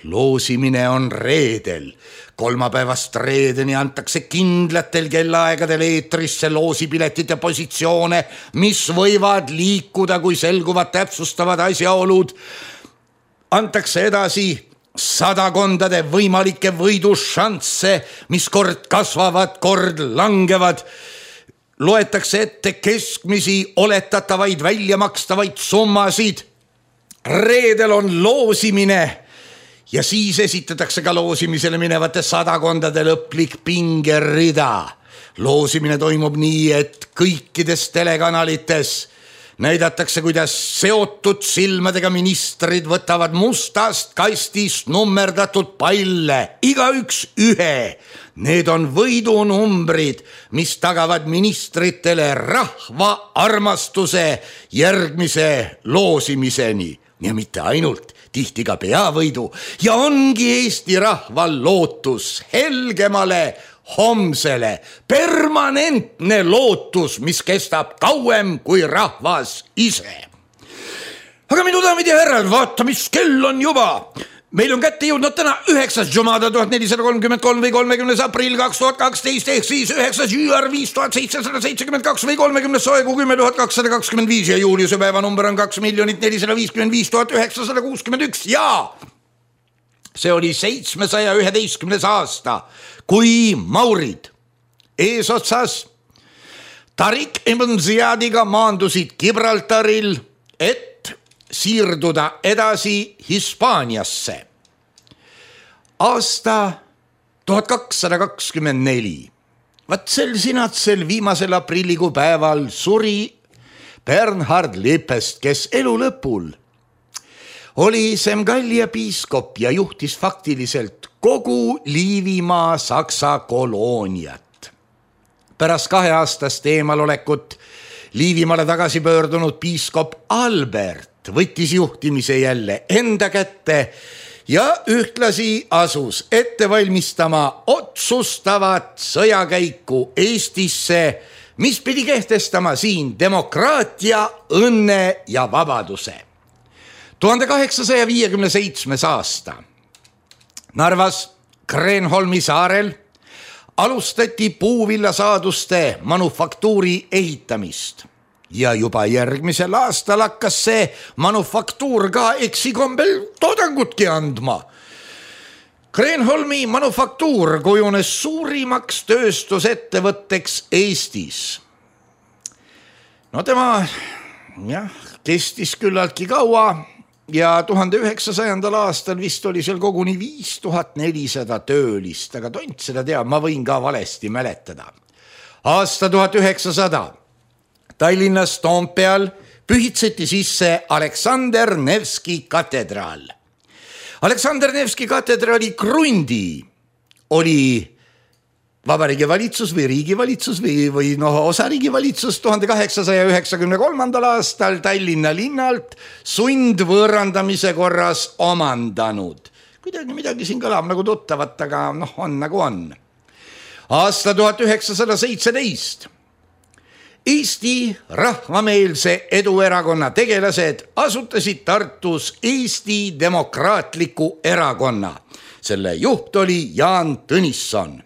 Loosimine on reedel. Kolmapäevast reedeni antakse kindlatel kellaaegadel eetrisse loosipiletite positsioone, mis võivad liikuda, kui selguvad täpsustavad asjaolud. Antakse edasi sadakondade võimalikke võidušansse, mis kord kasvavad, kord langevad. Loetakse ette keskmisi oletatavaid väljamakstavaid summasid. Reedel on loosimine. Ja siis esitatakse ka loosimisele minevate sadakondade lõplik pingerida. Loosimine toimub nii, et kõikides telekanalites näidatakse, kuidas seotud silmadega ministrid võtavad mustast kastist nummerdatud palle, igaüks ühe. Need on võidunumbrid, mis tagavad ministritele rahva armastuse järgmise loosimiseni. Ja mitte ainult, tihti ka peavõidu. Ja ongi Eesti rahval lootus helgemale homsele, permanentne lootus, mis kestab kauem kui rahvas ise. Aga minu daamid ja härrad, vaata, mis kell on juba. Meil on kätte jõudnud täna 9. Jumada 1433 või 30. aprill 2012 ehk siis 9. jüar 5772 või 30. soegu 10225 ja Juliuse päeva number on 2 455 961 ja see oli 711. aasta, kui maurid eesotsas Tariq ibn Ziyadiga maandusid Gibraltaril, et siirduda edasi Hispaaniasse. Aasta 1224. Vaat sel sinatsel viimasel aprillikuu päeval suri Bernhard Lippest, kes elu lõpul oli Semgallia piiskop ja juhtis faktiliselt kogu Liivimaa Saksa kolooniat. Pärast 2-aastast eemalolekut Liivimaale tagasi pöördunud piiskop Albert võttis juhtimise jälle enda kätte ja ühtlasi asus ette valmistama otsustavat sõjakäiku Eestisse, mis pidi kehtestama siin demokraatia, õnne ja vabaduse. 1857. aasta Narvas Kreenholmi saarel alustati puuvillasaaduste manufaktuuri ehitamist ja juba järgmisel aastal hakkas see manufaktuur ka eksikombel toodangutki andma. Kreenholmi manufaktuur kujunes suurimaks tööstusettevõtteks Eestis. No tema kestis küllaltki kaua ja 1900. aastal vist oli seal koguni 5400 töölist, aga tont seda teab, ma võin ka valesti mäletada. Aasta 1900 Tallinnas Toompeal pühitseti sisse Aleksander Nevski katedraal. Aleksander Nevski katedraali krundi oli Vabariigi valitsus või riigivalitsus või osariigi valitsus 1893. aastal Tallinna linnalt sundvõõrandamise korras omandanud. Kuidagi midagi siin kõlab nagu tuttavat, aga on nagu on. Aasta 1917 Eesti rahvameelse eduerakonna tegelased asutasid Tartus Eesti Demokraatliku Erakonna. Selle juht oli Jaan Tõnisson.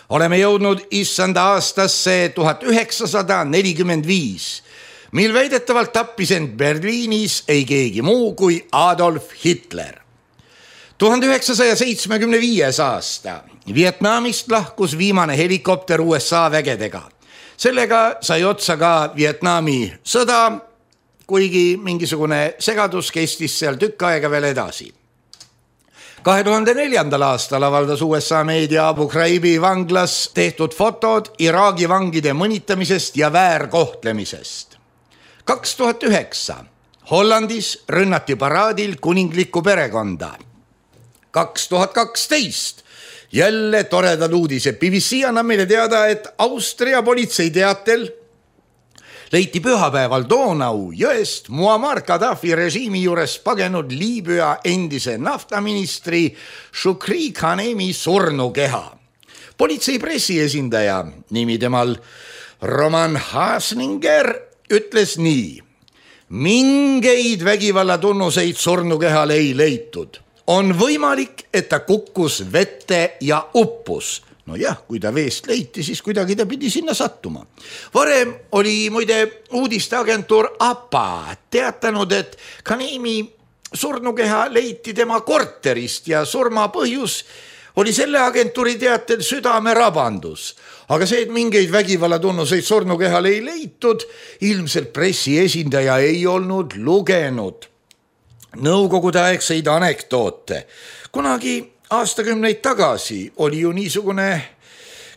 Oleme jõudnud issanda aastasse 1945, mil väidetavalt tappis end Berliinis ei keegi muu kui Adolf Hitler. 1975. aasta Vietnamist lahkus viimane helikopter USA vägedega. Sellega sai otsa ka Vietnami sõda, kuigi mingisugune segadus kestis seal tükk aega veel edasi. 2004. aastal avaldas USA meedia Abu Ghraibi vanglas tehtud fotod Iraagi vangide mõnitamisest ja väärkohtlemisest. 2009 Hollandis rünnati paraadil kuninglikku perekonda. 2012 jälle toredad uudised. BBC annab meile teada, et Austria politsei teatel leiti pühapäeval Donau jõest Muammar Gaddafi režiimi juures pagenud Liibüa endise naftaministri Shukri Khanemi surnukeha. Politsei pressiesindaja, nimi temal Roman Hasninger, ütles nii: mingeid vägivallatunnuseid surnukehal ei leitud. On võimalik, et ta kukkus vette ja uppus. No jah, kui ta veest leiti, siis kuidagi ta pidi sinna sattuma. Varem oli muide uudisteagentuur APA teatanud, et Khanemi surnukeha leiti tema korterist ja surma põhjus oli selle agentuuri teatel südamerabandus. Aga see, et mingeid vägivallatunnuseid surnukehal ei leitud, ilmselt pressi esindaja ei olnud lugenud nõukogude aegseid anekdoote. Kunagi aastakümneid tagasi oli ju niisugune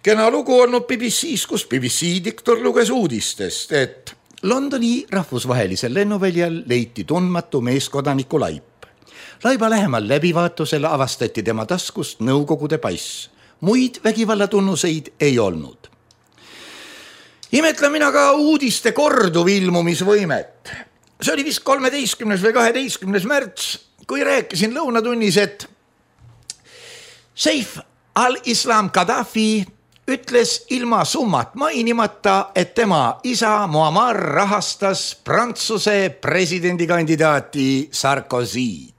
kena lugu olnud BBC-s, kus BBC diktor luges uudistest, et Londoni rahvusvahelisel lennuväljal leiti tundmatu meeskodaniku laip. Laiba lähemal läbivaatusel avastati tema taskust nõukogude pass. Muid vägivallatunnuseid ei olnud. Imetlen mina ka uudiste korduv ilmumisvõimet. See oli vist 13. või 12. märts, kui rääkisin lõunatunnis, et Seif al-Islam Gaddafi ütles ilma summat mainimata, et tema isa Muammar rahastas Prantsuse presidendikandidaati Sarkozy'd.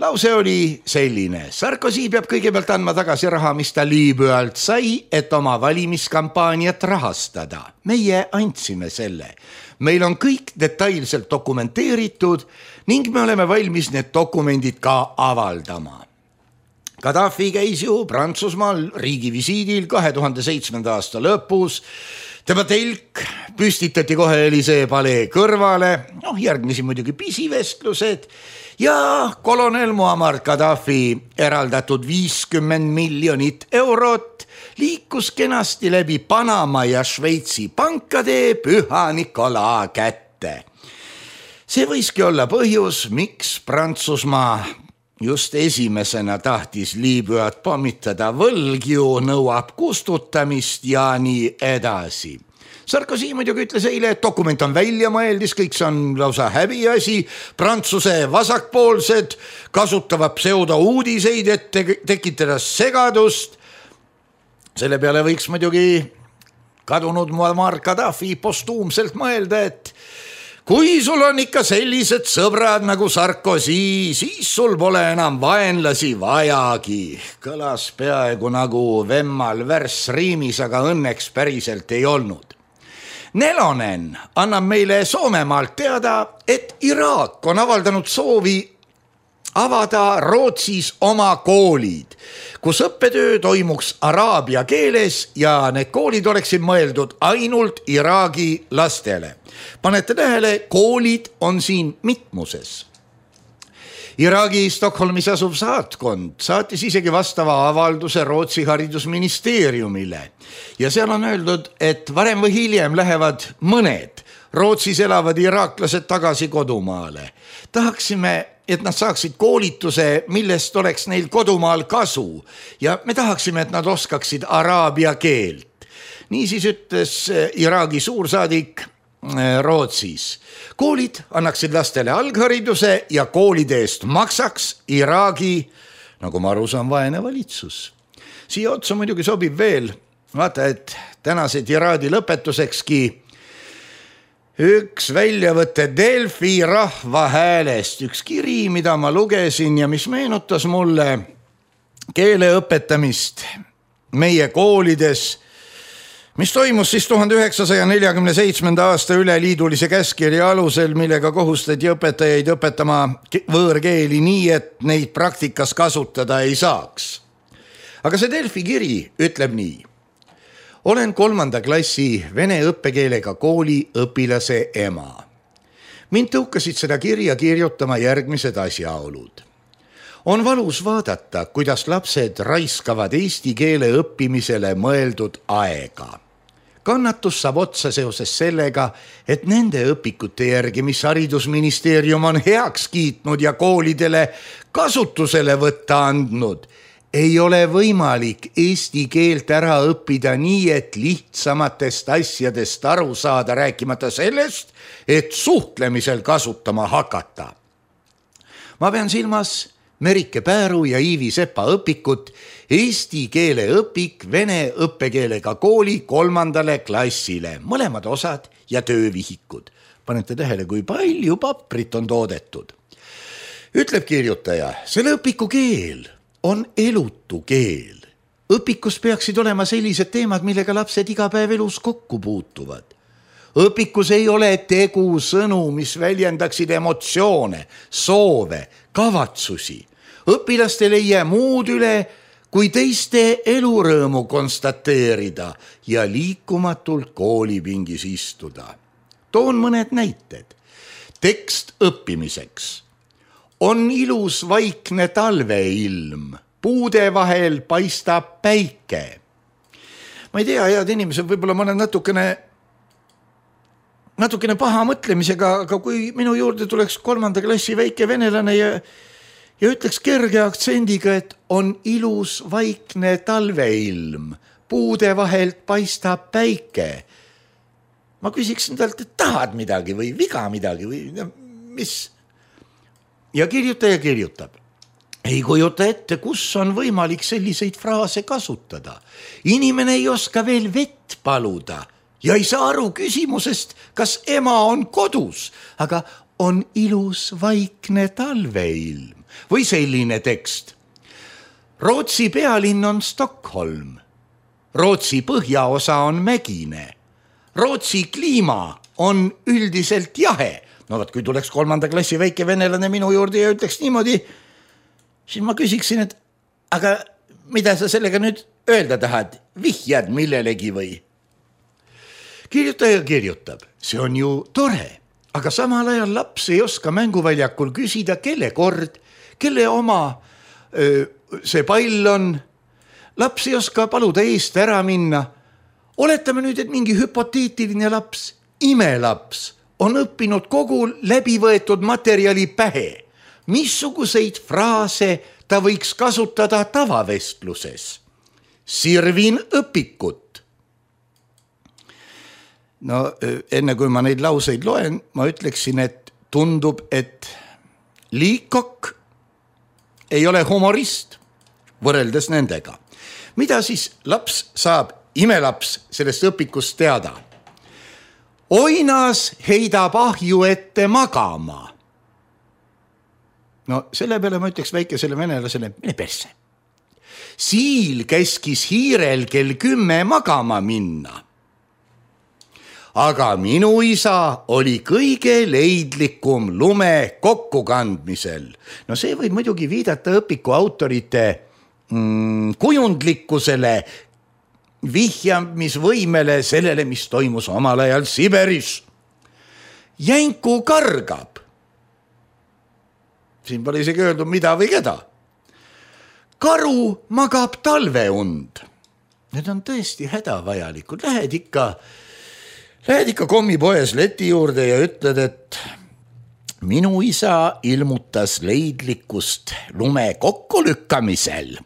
Lause oli selline: Sarkozy peab kõigepealt andma tagasi raha, mis ta Liibüalt sai, et oma valimiskampaaniat rahastada. Meie andsime selle. Meil on kõik detailselt dokumenteeritud ning me oleme valmis need dokumendid ka avaldama. Gaddafi käis ju Prantsusmaal riigivisiidil 2007. aasta lõpus. Tema telk püstitati kohe Elisee palee kõrvale, järgmisi muidugi pisivestlused ja kolonel Muammar Gaddafi eraldatud 50 miljonit eurot liikus kenasti läbi Panama ja Šveitsi pankade Püha Nicola kätte. See võiski olla põhjus, miks Prantsusmaa just esimesena tahtis Liibüat pommitada, võlg ju nõuab kustutamist ja nii edasi. Sarkozy muidugi ütles eile, et dokument on välja mõeldis, kõik see on lausa häbiasi. Prantsuse vasakpoolsed kasutavad pseudouudiseid, et tekitada segadust. Selle peale võiks muidugi kadunud Muammar Gaddafi postuumselt mõelda, et kui sul on ikka sellised sõbrad nagu Sarkozy, siis sul pole enam vaenlasi vajagi. Kõlas peaaegu nagu Vemmal värss riimis, aga õnneks päriselt ei olnud. Nelonen annab meile Soomemaalt teada, et Iraak on avaldanud soovi avada Rootsis oma koolid, kus õppetöö toimuks araabia keeles ja need koolid oleksid mõeldud ainult Iraagi lastele. Panete tähele, koolid on siin mitmuses. Iraagi Stockholmis asuv saatkond saatis isegi vastava avalduse Rootsi haridusministeeriumile ja seal on öeldud, et varem või hiljem lähevad mõned Rootsis elavad iraaklased tagasi kodumaale. Tahaksime, et nad saaksid koolituse, millest oleks neil kodumaal kasu ja me tahaksime, et nad oskaksid araabia keelt. Niisiis ütles Iraagi suursaadik Rootsis. Koolid annaksid lastele alghariduse ja koolide eest maksaks Iraagi, nagu ma aru saan, vaene valitsus. Siia otsa muidugi sobib veel, vaata, et tänased Iraadi lõpetusekski üks väljavõte Delfi rahvahäälest, üks kiri, mida ma lugesin ja mis meenutas mulle keele õpetamist meie koolides, mis toimus siis 1947. aasta üleliidulise käskkirja alusel, millega kohustati õpetajaid õpetama võõrkeeli nii, et neid praktikas kasutada ei saaks. Aga see Delfi kiri ütleb nii. Olen 3. klassi vene õppekeelega kooli õpilase ema. Mind tõukasid seda kirja kirjutama järgmised asjaolud. On valus vaadata, kuidas lapsed raiskavad eesti keele õppimisele mõeldud aega. Kannatus saab otsa seoses sellega, et nende õpikute järgi, mis haridusministeerium on heaks kiitnud ja koolidele kasutusele võtta andnud, ei ole võimalik eesti keelt ära õppida nii, et lihtsamatest asjadest aru saada, rääkimata sellest, et suhtlemisel kasutama hakata. Ma pean silmas Merike Pääru ja Iivi Sepa õpikut eesti keele õpik vene õppekeelega kooli 3. klassile, mõlemad osad ja töövihikud. Panete tähele, kui palju paprit on toodetud. Ütleb kirjutaja, selle õpiku keel on elutu keel. Õpikus peaksid olema sellised teemad, millega lapsed iga päev elus kokku puutuvad. Õpikus ei ole tegu sõnu, mis väljendaksid emotsioone, soove, kavatsusi. Õpilastel ei jää muud üle, kui teiste elurõõmu konstateerida ja liikumatult koolipingis istuda. Toon mõned näited. Tekst õppimiseks. On ilus vaikne talveilm, puude vahel paistab päike. Ma ei tea, head inimesed, võib-olla ma olen natukene paha mõtlemisega, aga kui minu juurde tuleks 3. klassi väike venelane ja ütleks kerge aktsendiga, et on ilus vaikne talveilm, puude vahelt paistab päike. Ma küsiksin talt, et tahad midagi või viga midagi või mis? Ja kirjutaja kirjutab. ei kujuta ette, kus on võimalik selliseid fraase kasutada. Inimene ei oska veel vett paluda ja ei saa aru küsimusest, kas ema on kodus, aga on ilus vaikne talveilm. Või selline tekst. Rootsi pealinn on Stockholm. Rootsi põhjaosa on mägine. Rootsi kliima on üldiselt jahe. No vaat, kui tuleks 3. klassi väike venelane minu juurde ja ütleks niimoodi, siis ma küsiksin, et aga mida sa sellega nüüd öelda tahad? Vihjad millelegi või? Kirjutaja kirjutab, see on ju tore, aga samal ajal laps ei oska mänguväljakul küsida, kelle kord, kelle oma see pall on. Laps ei oska paluda eest ära minna. Oletame nüüd, et mingi hüpoteetiline laps, imelaps, on õppinud kogu läbivõetud materjali pähe. Missuguseid fraase ta võiks kasutada tavavestluses? Sirvin õpikut. No enne kui ma neid lauseid loen, ma ütleksin, et tundub, et Liikok ei ole humorist võrreldes nendega. Mida siis laps saab, imelaps sellest õpikust teada? Oinas heidab ahju ette magama. No selle peale ma ütleks väikesele venelasele, mine persse. Siil käskis hiirel kell 10 magama minna. Aga minu isa oli kõige leidlikum lume kokkukandmisel. No see võib muidugi viidata õpiku autorite kujundlikkusele, vihjamisvõimele sellele, mis toimus omal ajal Siberis. Jänku kargab. Siin pole isegi öeldud mida või keda. Karu magab talveund. Need on tõesti hädavajalikud. Lähed ikka kommipoes leti juurde ja ütled, et minu isa ilmutas leidlikkust lume kokkulükkamisel.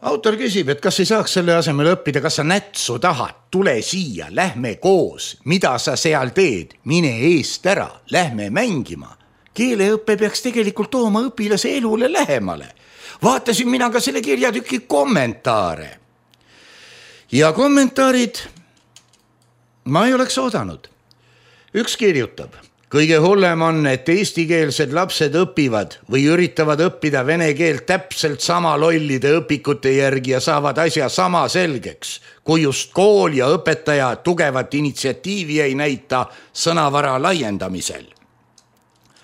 Autor küsib, et kas ei saaks selle asemel õppida, kas sa nätsu tahad, tule siia, lähme koos, mida sa seal teed, mine eest ära, lähme mängima. Keeleõppe peaks tegelikult tooma õpilase elule lähemale. Vaatasin mina ka selle kirjatüki kommentaare. Ja kommentaarid ma ei oleks oodanud. Üks kirjutab, kõige hullem on, et eestikeelsed lapsed õpivad või üritavad õppida vene keelt täpselt sama lollide õpikute järgi ja saavad asja sama selgeks, kui just kool ja õpetaja tugevat initsiatiivi ei näita sõnavara laiendamisel.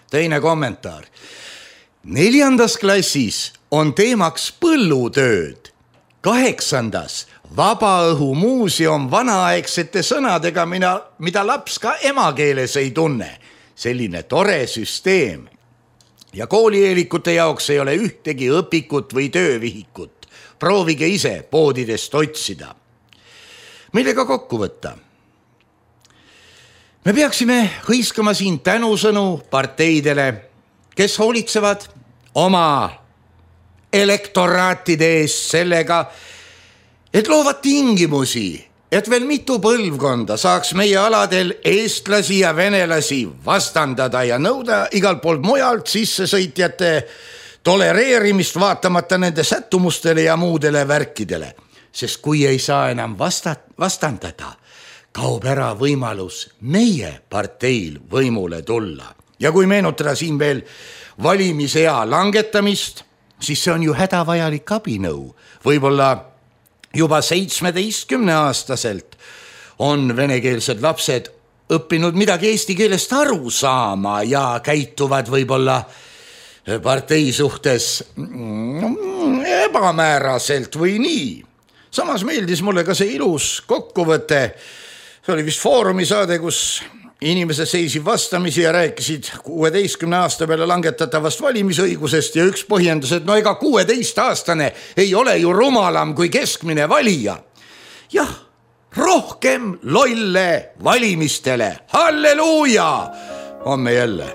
Teine kommentaar. 4. klassis on teemaks põllutööd. 8. vabaõhumuuseum vanaaegsete sõnadega, mida laps ka emakeeles ei tunne. Selline tore süsteem. Ja koolieelikute jaoks ei ole ühtegi õpikut või töövihikut. Proovige ise poodidest otsida. Millega kokku võtta? Me peaksime hõiskama siin tänusõnu parteidele, kes hoolitsevad oma elektoraatide eest sellega, et loovad tingimusi, et veel mitu põlvkonda saaks meie aladel eestlasi ja venelasi vastandada ja nõuda igalt poolt mujalt sissesõitjate tolereerimist vaatamata nende sättumustele ja muudele värkidele. Sest kui ei saa enam vastandada, kaob ära võimalus meie parteil võimule tulla. Ja kui meenutada siin veel valimisea langetamist, siis see on ju hädavajalik abinõu. Võib-olla juba 17-aastaselt on venekeelsed lapsed õppinud midagi eesti keelest aru saama ja käituvad võib-olla partei suhtes ebamääraselt või nii. Samas meeldis mulle ka see ilus kokkuvõte. See oli vist Foorumi saade, kus inimesed seisid vastamisi ja rääkisid 16 aasta peale langetatavast valimisõigusest ja üks põhjendus, et no ega 16-aastane ei ole ju rumalam kui keskmine valija. Jah, rohkem lolle valimistele. Halleluuja! Homme jälle.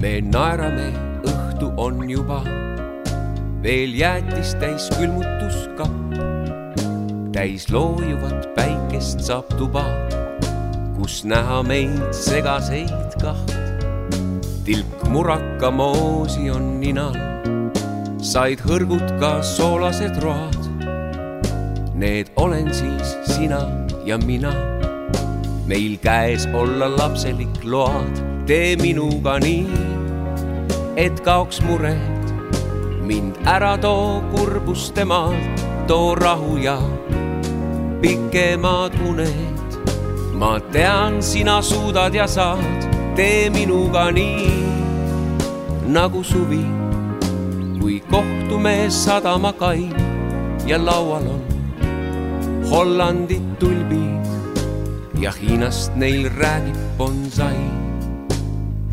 Me naerame, õhtu on juba, veel jäätis täis külmutuskapp. Täis loojuvat päikest saab tuba, kus näha meid segaseid kaht. tilk muraka moosi on ninal, said hõrgud ka soolased road. Need olen siis sina ja mina, meil käes olla lapselik load. Tee minuga nii, et kaoks mured, mind ära too kurbuste maalt, too rahu ja pikemad uned. Ma tean, sina suudad ja saad, tee minuga nii, nagu suvi, kui kohtume sadamakai ja laual on Hollandit tulbid ja Hiinast neil räägib bonsai.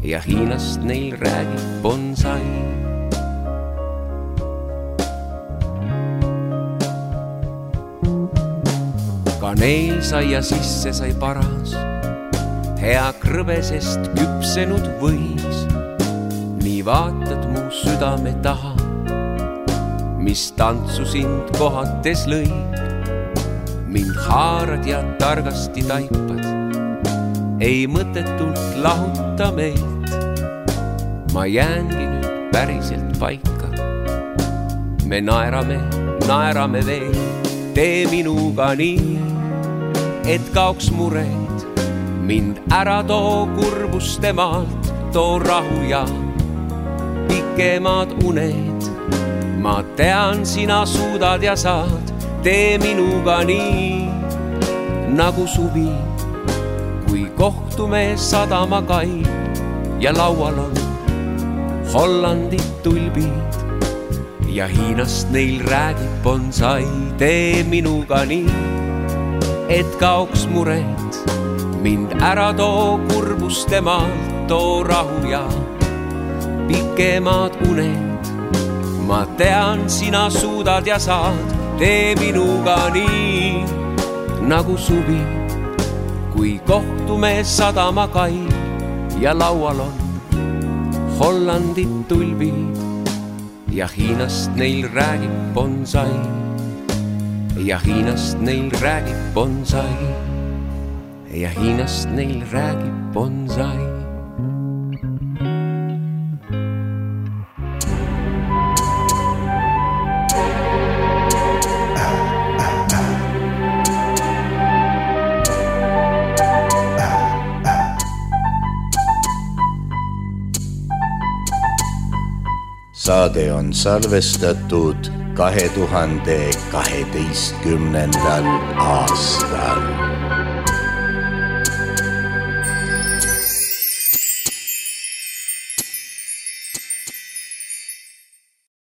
Ja Hiinast neil räägib bonsai. Kaneel sai ja sisse sai paras, hea krõbesest küpsenud võis. Nii vaatad mu südame taha, mis tantsu sind kohates lõid. Mind haarad ja targasti taipad, ei mõtetult lahuta meilt. Ma jäängi nüüd päriselt paika, me naerame veel. Tee minuga nii, et kaoks mured, mind ära too kurbuste maalt, too rahu ja pikemad uned. Ma tean, sina suudad ja saad, tee minuga nii, nagu suvi, kui kohtume sadamakai ja laual on Hollandit tulbid ja Hiinast neil räägib bonsai. Tee minuga nii, et kaoks mured, mind ära too kurbuste maalt, too rahu ja pikemad uned. Ma tean, sina suudad ja saad, tee minuga nii, nagu suvi, kui kohtume sadamakai ja laual on Hollandit tulbid ja Hiinast neil räägib bonsai. Ja Hiinast neil räägib bonsai. Ja Hiinast neil räägib bonsai. Saade on salvestatud 2012. aastal.